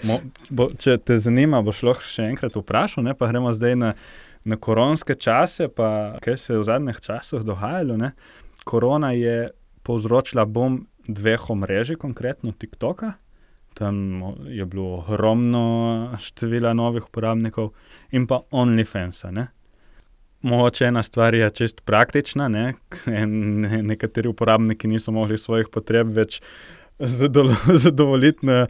mo, bo, če te zanima, boš lahko še enkrat vprašal, ne, pa gremo zdaj na, na koronske čase, pa kaj se je v zadnjih časih dogajalo, ne. Korona je povzročila bom dveh omrežij, konkretno TikToka. Tam je bilo ogromno števila novih uporabnikov in pa OnlyFansa, ne. Mogoče ena stvar je čist praktična, ne, nekateri uporabniki niso mogli svojih potreb več zadovoljiti na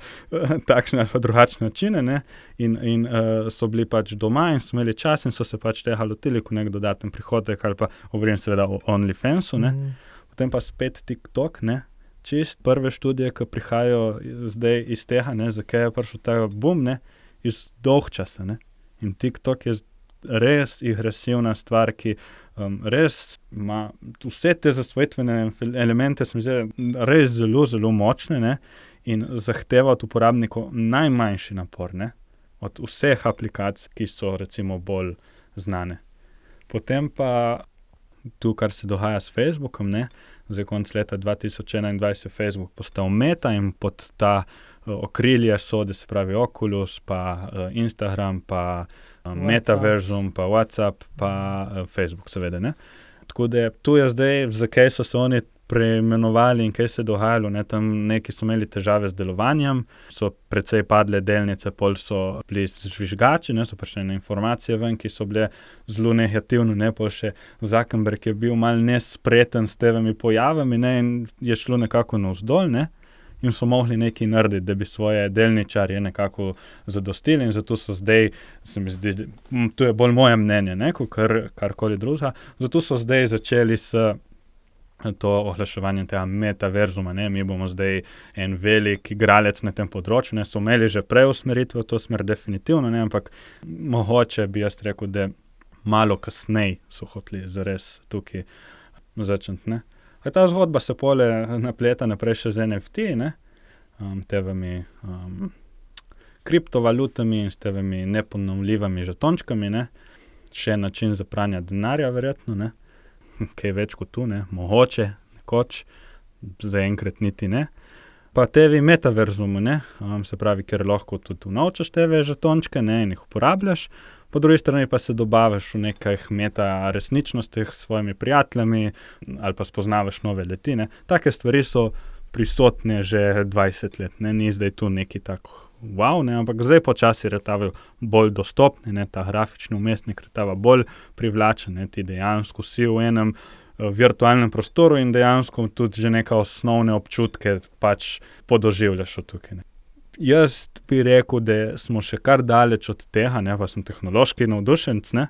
takšne ali pa drugačne načine, ne, in, in uh, so bili pač doma in so imeli čas in so se pač tega lotili kot nek dodaten prihodek ali pa govorim seveda o OnlyFansu, ne, mm. potem pa spet TikTok, ne, čist prve študije, ki prihajajo zdaj iz tega, ne, zakaj je prišel ta boom, ne, iz dolg časa, ne, in TikTok je res agresivna stvar, ki um, res ima vse te zasvojitvene elemente, se mi zdi, res zelo, zelo močne, ne, in zahteva od uporabnikov najmanjši napor, ne, od vseh aplikacij, ki so recimo bolj znane. Potem pa tu, kar se dogaja s Facebookom, ne, zdaj konc leta dva tisoč enaindvajset je Facebook postal Meta in pod ta uh, okrilje sode, se pravi Oculus, pa uh, Instagram, pa uh, Metaversum, pa WhatsApp, pa uh, Facebook seveda, ne. Tako da tu je zdaj, zakaj so se oni preimenovali in kaj se je dogajalo, ne, tam neki so imeli težave z delovanjem, so precej padle delnice, pol so bili žvižgači, ne, so prišle na informacije ven, ki so bile zelo negativne, ne, pol še Zuckerberg je bil malo nespreten s tevimi pojavami, ne, in je šlo nekako navzdol, ne, in so mogli nekaj narediti, da bi svoje delničarje nekako zadostili in zato so zdaj, se mi zdi, to je bolj moje mnenje, ne, kot kar, karkoli drugega, zato so zdaj začeli s to oglaševanje tega metaverzuma, ne, mi bomo zdaj en velik igralec na tem področju, ne, so imeli že prej usmeritve v to smer definitivno, ne, ampak mogoče bi jaz rekel, da malo kasneje so hoteli zares tukaj začeti, ne. A ta zgodba se pole napleta naprej še z en ef te, ne, um, tevimi um, kriptovalutami in s tevimi neponovljivimi žetončkami, ne, še način za pranje denarja verjetno, ne, kaj več kot tu, ne, mogoče, nekoč, zaenkrat niti ne. Pa tevi metaverzumu, ne, um, se pravi, ker lahko tudi unovčaš teve žetončke, ne, in jih uporabljaš, po drugi strani pa se dobaviš v nekaj meta resničnostih s svojimi prijateljami ali pa spoznavaš nove leti, ne. Take stvari so prisotne že dvajset let, ne, ni zdaj tu neki tako wow, ne, ampak zdaj počasi retavajo bolj dostopni, ne, ta grafični umestnik retava bolj privlačen, ne, ti dejansko si v enem uh, virtualnem prostoru in dejansko tudi že neka osnovne občutke pač podoživljaš od tukaj, ne. Jaz bi rekel, da smo še kar daleč od tega, ne, pa sem tehnološki navdušenc, ne,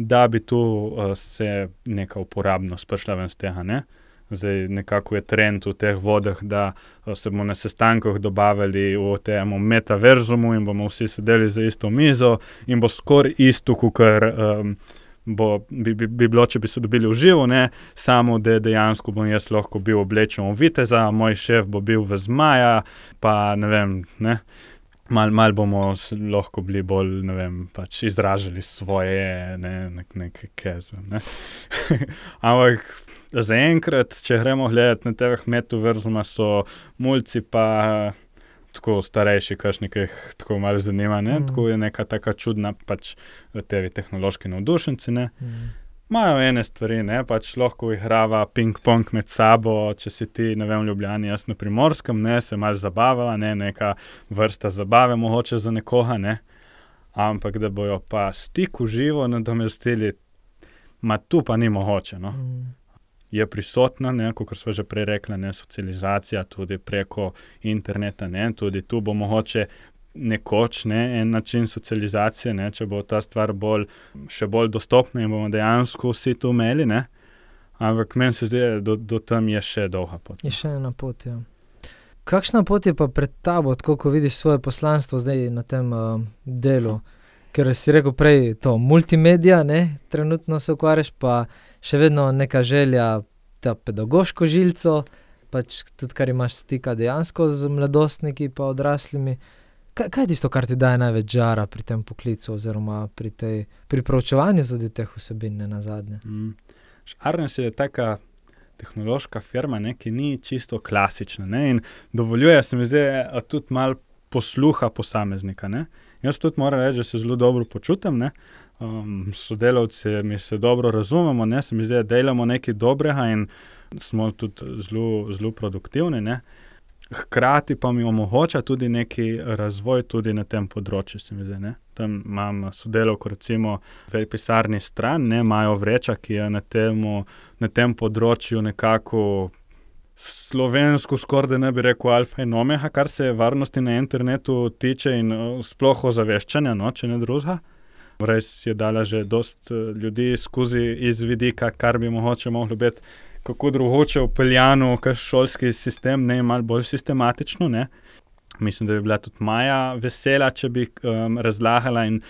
da bi tu uh, se neka uporabnost prišla ven z tega, ne. Zdaj nekako je trend v teh vodah, da se bomo na sestankih dobavili v tem metaverzumu in bomo vsi sedeli za isto mizo in bo skoraj isto, kakor um, bo, bi, bi, bi bilo, če bi se dobili v živo, ne, samo da dejansko bom jaz lahko bil oblečen v viteza, moj šef bo bil v zmaja, pa ne vem, ne, mal, mal bomo lahko bili bolj, ne vem, pač izražali svoje, ne, nek, nek kezve, ne. Ampak zaenkrat, če gremo gledati na teh metaverzuma, so mulci pa tako starejši, kakšni, ki jih tako malo zanima, ne, mm. tako je neka taka čudna pač tevi tehnološki navdušenci, ne. Mm. Imajo ene stvari, ne, pač lahko igrava ping-pong med sabo, če si ti, ne vem, v Ljubljani, jaz na Primorskem, ne, se malo zabava, ne, neka vrsta zabave mogoče za nekoga, ne, ampak da bojo pa stik v živo nadomestili, ma tu pa ni mogoče, no. Mm. Je prisotna, ne, kot smo že prej rekli, ne, socializacija tudi preko interneta, ne, tudi tu bo mogoče nekoč, ne, en način socializacije, ne, če bo ta stvar bolj, še bolj dostopna in bomo dejansko vsi tu imeli, ne, ampak meni se zdi, do, do tam je še dolga pot. Je še ena pot, ja. Kakšna pot je pa pred tabo, tako ko vidiš svoje poslanstvo zdaj na tem uh, delu? Ker si rekel prej to multimedija, ne, trenutno se ukvarjaš, pa še vedno neka želja, ta pedagoško žilco, pač tudi kar imaš stika dejansko z mladostniki pa odraslimi. Kaj, kaj je tisto, kar ti daje največ žara pri tem poklicu oziroma pri, tej, pri proučevanju tudi teh vsebin, ne nazadnje? Mm. Arnes je taka tehnološka firma, ne, ki ni čisto klasična, ne, in dovoljuje se mi zdaj tudi malo posluha posameznika, ne. Jaz tudi moram reči, da se zelo dobro počutim, ne. Um, sodelavci mi se dobro razumemo, ne, se mi zdi, da delamo nekaj dobrega in smo tudi zelo, zelo produktivni, ne. Hkrati pa mi omogoča tudi neki razvoj tudi na tem področju, se mi zdi, ne. Tam imam sodelavko recimo v pisarni stran, ne, imajo vreča, ki je na temu, na tem področju nekako slovensko skoraj da ne bi rekel alfa in omega, kar se varnosti na internetu tiče in sploh ozaveščanja, no, če ne drugega. Res je dala že dost ljudi skozi iz vidika, kar bi mogoče moglo biti kako drugoče upeljano v šolski sistem, ne malo bolj sistematično, ne. Mislim, da bi bila tudi Maja vesela, če bi um, razlagala in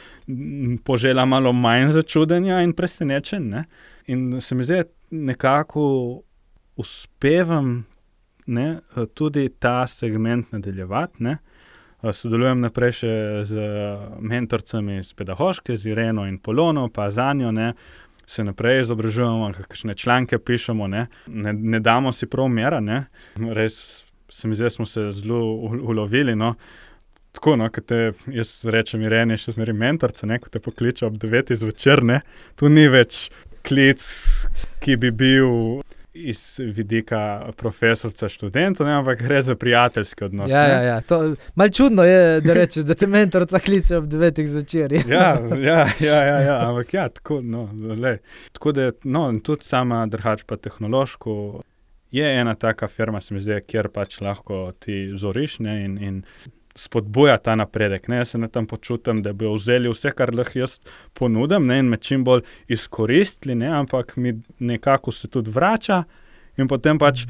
požela malo manj začudenja in presenečenj, ne. In se mi zdi, nekako uspevam, ne, tudi ta segment nadaljevati, ne. Sodelujem naprej še z mentorcami z pedagoške, z Ireno in Polono, pa z Anjo, ne, se naprej izobražujemo, kakšne članke pišemo, ne, ne, ne damo si prav mera, ne, res se mi zdi, smo se zelo ulovili, no, tako, no, ko te, jaz rečem Irene, še zmeri mentorca, ne, ko te pokliče ob devetih zvečer, ne, tu ni več klic, ki bi bil iz vidika profesorca študentov, ne, ampak gre za prijateljski odnos. Ja, ja, ja. To, malo čudno je, da rečeš, da te mentorca kliče ob devetih zvečer. Ja, ja, ja, ja, ja, ampak ja, tako, no, lej. Tako da, no, tudi sama drugače pa tehnološko je ena taka firma, se mi zdi, kjer pač lahko ti zoriš, ne, in, in spodbuja ta napredek, ne, jaz se ne tam počutim, da bi vzeli vse, kar lahko jaz ponudim, ne, in me čim bolj izkoristili, ne, ampak mi nekako se tudi vrača in potem pač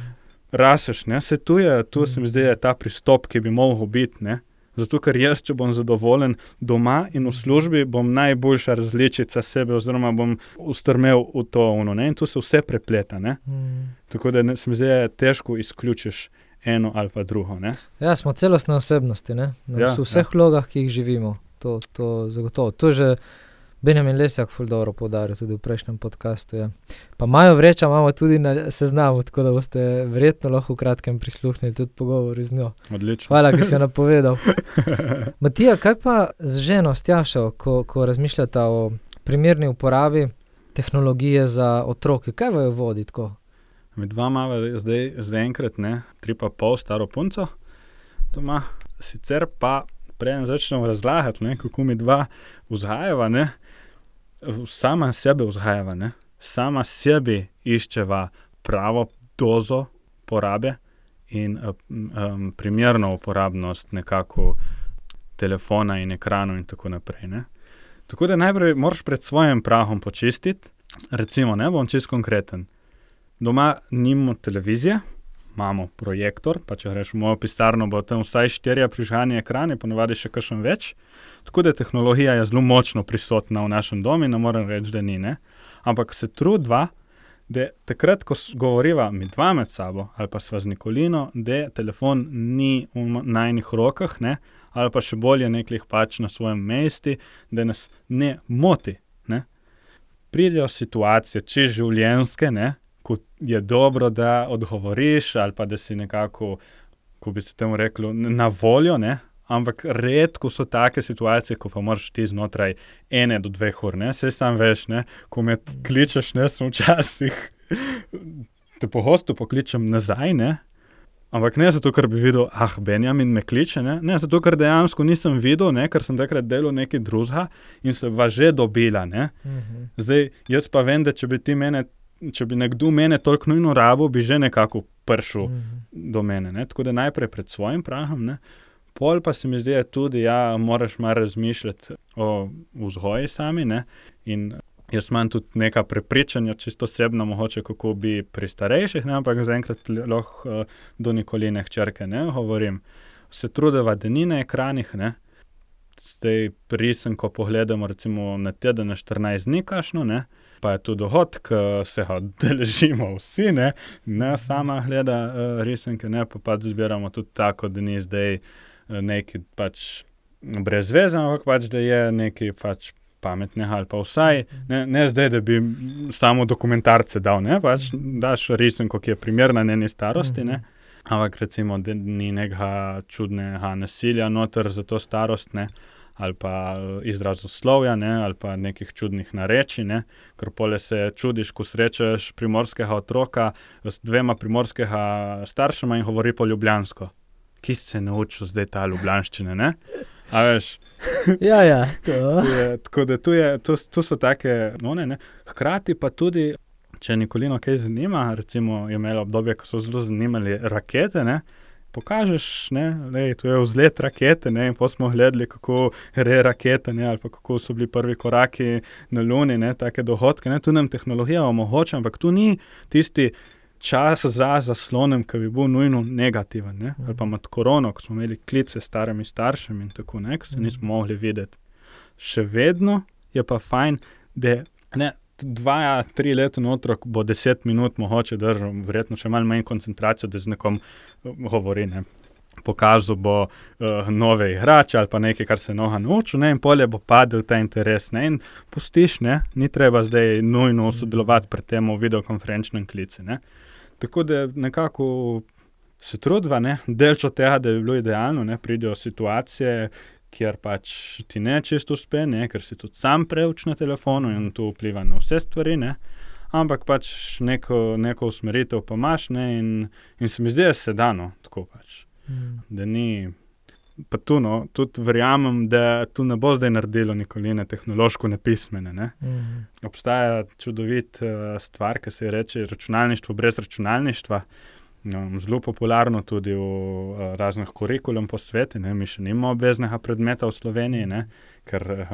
raseš, ne, se tu je, tu se mi zdi, je ta pristop, ki bi mogel biti, ne, zato ker jaz, če bom zadovoljen doma in v službi, bom najboljša različica sebe oziroma bom ustrmel v to, ono, ne, in tu se vse prepleta, ne, mm. tako da ne, se mi zdi, težko izključiš eno ali pa drugo, ne? Ja, smo celostne osebnosti, ne? Na ja, vseh ja. vlogah, ki jih živimo. To, to zagotovo. To že Benjamin Lesjak ful dobro poudaril tudi v prejšnjem podcastu, ja. Pa Majo Vreča imamo tudi na seznamu, tako da boste verjetno lahko v kratkem prisluhnili tudi pogovori z njo. Odlično. Hvala, ki si jo napovedal. Matija, kaj pa z ženo, s Tjašo, ko, ko razmišljata o primerni uporabi tehnologije za otroke? Kaj vaju vodi tako? Med dva imava zdaj zaenkrat, ne, tri pa pol staro punco doma. Sicer pa preden začnemo razlagati, ne, kako mi dva vzgajava, ne, sama sebe vzgajava, ne, sama sebi iščeva pravo dozo porabe in um, primerno uporabnost nekako telefona in ekranov in tako naprej, ne. Tako da najprej moraš pred svojim prahom počistiti, recimo, ne, bom čisto konkreten. Doma nimamo televizije, imamo projektor, pa če greš v mojo pisarno, bo tam vsaj štirje prižgani ekrani, ponavadi še kakšen več. Tako da tehnologija je zelo močno prisotna v našem domu, ne morem reči, da ni, ne. Ampak se trudva, da takrat, ko govoriva mi dva med sabo, ali pa sva z Nikolino, da telefon ni v najnih rokah, ne, ali pa še bolje neklih pač na svojem mesti, da nas ne moti, ne. Pridejo situacije, če življenjske, ne, ko je dobro, da odgovoriš ali pa da si nekako, ko bi se temu reklo, na voljo, ne, ampak redko so take situacije, ko pa moraš ti znotraj ene do dveh ur, ne, saj sam veš, ne, ko me kličeš, ne, sem včasih, te pogosto pokličem nazaj, ne, ampak ne zato, ker bi videl, ah, Benjamin me kliče, ne, ne, zato, ker dejansko nisem videl, ne, ker sem takrat delal nekaj drugega in se va že dobila, ne, mhm. Zdaj, jaz pa vem, da če bi ti mene če bi nekdo mene toliko nujno rabo, bi že nekako pršel mm. do mene, ne, tako da najprej pred svojim prahom, ne, pol pa se mi zdi tudi, ja, moraš malo razmišljati o vzgoji sami, ne, in jaz imam tudi neka prepričanja, čisto osebno mogoče, kako bi pri starejših, ne, ampak zaenkrat lahko do Nikoline hčerke, ne, govorim, se trudeva, da ni na ekranih, ne, zdaj prisen, ko pogledamo recimo na teden na štirinajst dni kašno, ne, pa je tudi dohodk, se ga deležimo vsi, ne, ne sama gleda uh, risenke, ne, pa pač zbiramo tudi tako, da ni zdaj uh, neki pač brez veze, ampak pač, da je neki pač pametnega ali pa vsaj, ne, ne zdaj, da bi samo dokumentarce dal, ne, pač daš risenko, ki je primerna njeni starosti, ne, ampak recimo, da ni nekega čudnega nasilja noter za to starost, ne, ali pa izrazoslovja, ne, ali pa nekih čudnih nareči, ne, ker pole se čudiš, ko srečaš primorskega otroka s dvema primorskega staršema in govori po ljubljansko. Ki se naučil zdaj ta ljubljanščine, ne? A veš? Ja, ja. To. Tu je, tako da tu, je, tu, tu so take, one, ne. Hkrati pa tudi če Nikolino kaj zanima, recimo je imela obdobje, ko so zelo zanimali rakete, ne, pokažeš, ne, lej, to je vzlet rakete, ne, in potem smo gledali, kako re rakete, ne, ali pa kako so bili prvi koraki na Luni, ne, take dohodke, ne, tu nam tehnologija omogoča, ampak tu ni tisti čas za zaslonem, ki bi bil nujno negativen, ne, ali pa med korono, ko smo imeli klice s starimi staršemi in tako, ne, ko se nismo mogli videti. Še vedno je pa fajn, da ne, dva, tri leta otrok bo deset minut mogoče držal, verjetno še malo manj koncentracijo, da z nekom govori, ne. Pokazal bo uh, nove igrače ali pa nekaj, kar se noha naučil, ne, in polje bo padel ta interes, ne, in pustiš, ne, ni treba zdaj nujno sodelovati pri tem v videokonferenčnem klici, ne. Tako da nekako se trudva, ne, delč od tega, da bi bilo idealno, ne, pridejo situacije, kjer pač ti ne čisto uspe, ne, ker si tudi sam preuč na telefonu in to vpliva na vse stvari, ne, ampak pač neko, neko usmeritev pa imaš, ne, in, in se mi zdi, da se da, no, tako pač, mm. da ni, pa tu, no, tudi verjamem, da tu ne bo zdaj naredilo Nikoline tehnološko nepismene, ne. Mm. Obstaja čudovit uh, stvar, ki se reče računalništvo brez računalništva, no, zelo popularno tudi v uh, raznih kurikulum po svetu, ne, mi še nimamo obveznega predmeta v Sloveniji, ne, ker uh,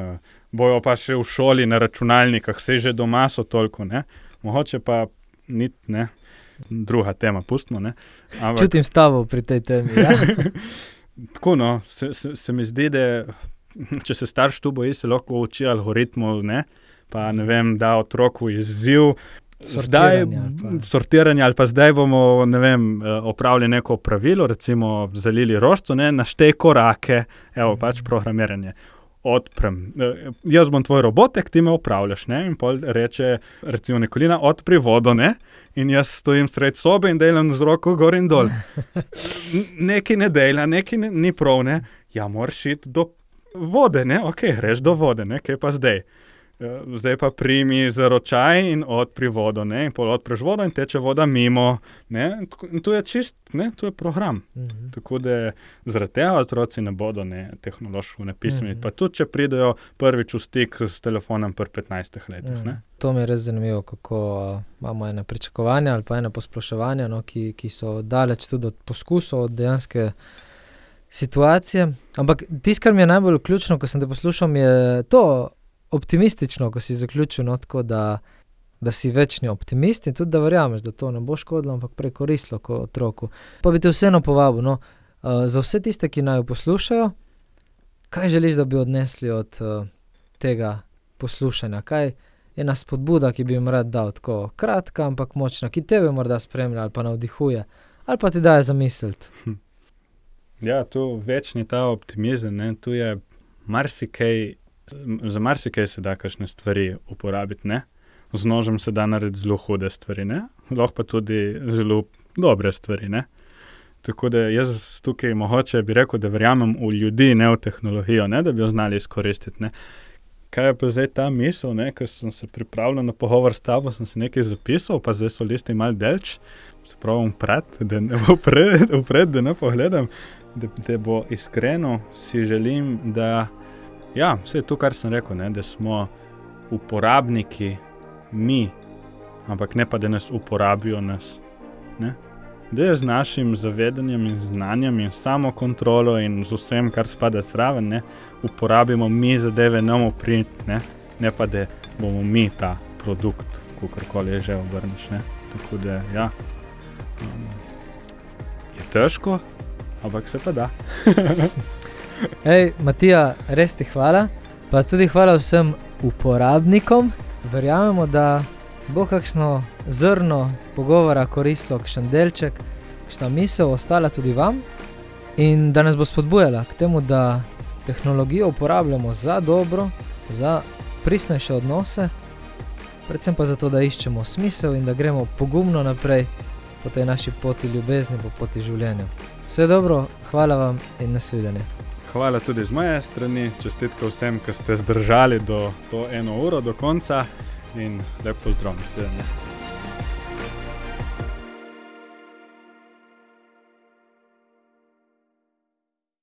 bojo pa še v šoli na računalnikah, saj že doma so toliko, ne, mogoče pa nit, ne, druga tema, pustimo, ne. Ampak, čutim stavo pri tej temi, ja. Tako, no, se, se, se mi zdi, da če se starš tu boji, se lahko uči algoritmov, ne, pa ne vem, da otroku izziv, Zdaj, Sortiranje ali pa. sortiranje ali pa zdaj bomo, ne vem, opravili neko pravilo, recimo zalili rožico, ne, naštej korake, evo, pač programiranje. Odprem. Jaz bom tvoj robotek, ti me upravljaš, ne, in pol reče, recimo Nikolina, odpri vodo, ne, in jaz stojim sred sobe in delam z roko gor in dol. Nekaj ne dela, nekaj ne, ni prav, ne, ja, moraš iti do vode, ne, okej, greš do vode, ne, kaj pa zdaj? Zdaj pa primi za ročaj in odpri vodo, ne, in pol odpreš vodo in teče voda mimo, ne, in to je čist, ne, to je program. Mm-hmm. Tako da zaradi tega otroci ne bodo, ne, tehnološko nepismeni, mm-hmm. pa tudi, če pridejo prvič v stik s telefonom pri petnajstih letih, mm-hmm. ne. To mi je res zanimivo, kako uh, imamo ene pričakovanja ali pa ene posploševanja, no, ki, ki so daleč tudi od poskusov, od dejanske situacije. Ampak tisto, kar mi je najbolj ključno, ko sem te poslušal, je to optimistično, ko si zaključil, no, tako da, da si večni optimist in tudi, da verjameš, da to ne bo škodilo, ampak prej koristilo kot otroku. Pa bi te vseeno povabil, no, uh, za vse tiste, ki naj jo poslušajo, kaj želiš, da bi odnesli od uh, tega poslušanja? Kaj je ena spodbuda, ki bi jim rad dal, tako kratka, ampak močna, ki tebe morda spremlja ali pa navdihuje, ali pa ti daje zamisliti? Hm. Ja, tu večni ta optimizem, ne, tu je marsikaj, za marsikaj se da kakšne stvari uporabiti, ne. Z nožem se da narediti zelo hude stvari, ne. Lahko pa tudi zelo dobre stvari, ne. Tako da jaz tukaj mogoče bi rekel, da verjamem v ljudi, ne v tehnologijo, ne, da bi jo znali izkoristiti, ne. Kaj je pa zdaj ta misel, ne, ker sem se pripravljal na pogovor s tabo, sem se nekaj zapisal, pa zdaj so listi malo delč, se pravim pred, da ne bo pred, upred, da ne pogledam, da, da bo iskreno si želim, da ja, vse to, kar sem rekel, ne, da smo uporabniki mi, ampak ne pa, da nas uporabijo nas, ne. Da je z našim zavedanjem in znanjem in samokontrolo in z vsem, kar spada zraven, ne, uporabimo mi zadeve nam uprit, ne, ne pa, da bomo mi ta produkt, kakorkoli je že obrneš, ne. Tako da, ja, um, je težko, ampak se pa da. Ej, Matija, res ti hvala, pa tudi hvala vsem uporabnikom. Verjamemo, da bo kakšno zrno pogovora koristilo, kakšen delček, kakšna misel ostala tudi vam in da nas bo spodbujala k temu, da tehnologijo uporabljamo za dobro, za pristnejše odnose, predvsem pa zato, da iščemo smisel in da gremo pogumno naprej po tej naši poti ljubezni, po poti življenja. Vse dobro, hvala vam in nasvidenje. Hvala tudi z moje strani, čestitke vsem, ki ste zdržali do to eno uro do konca in lep pozdrav, nasvidenje.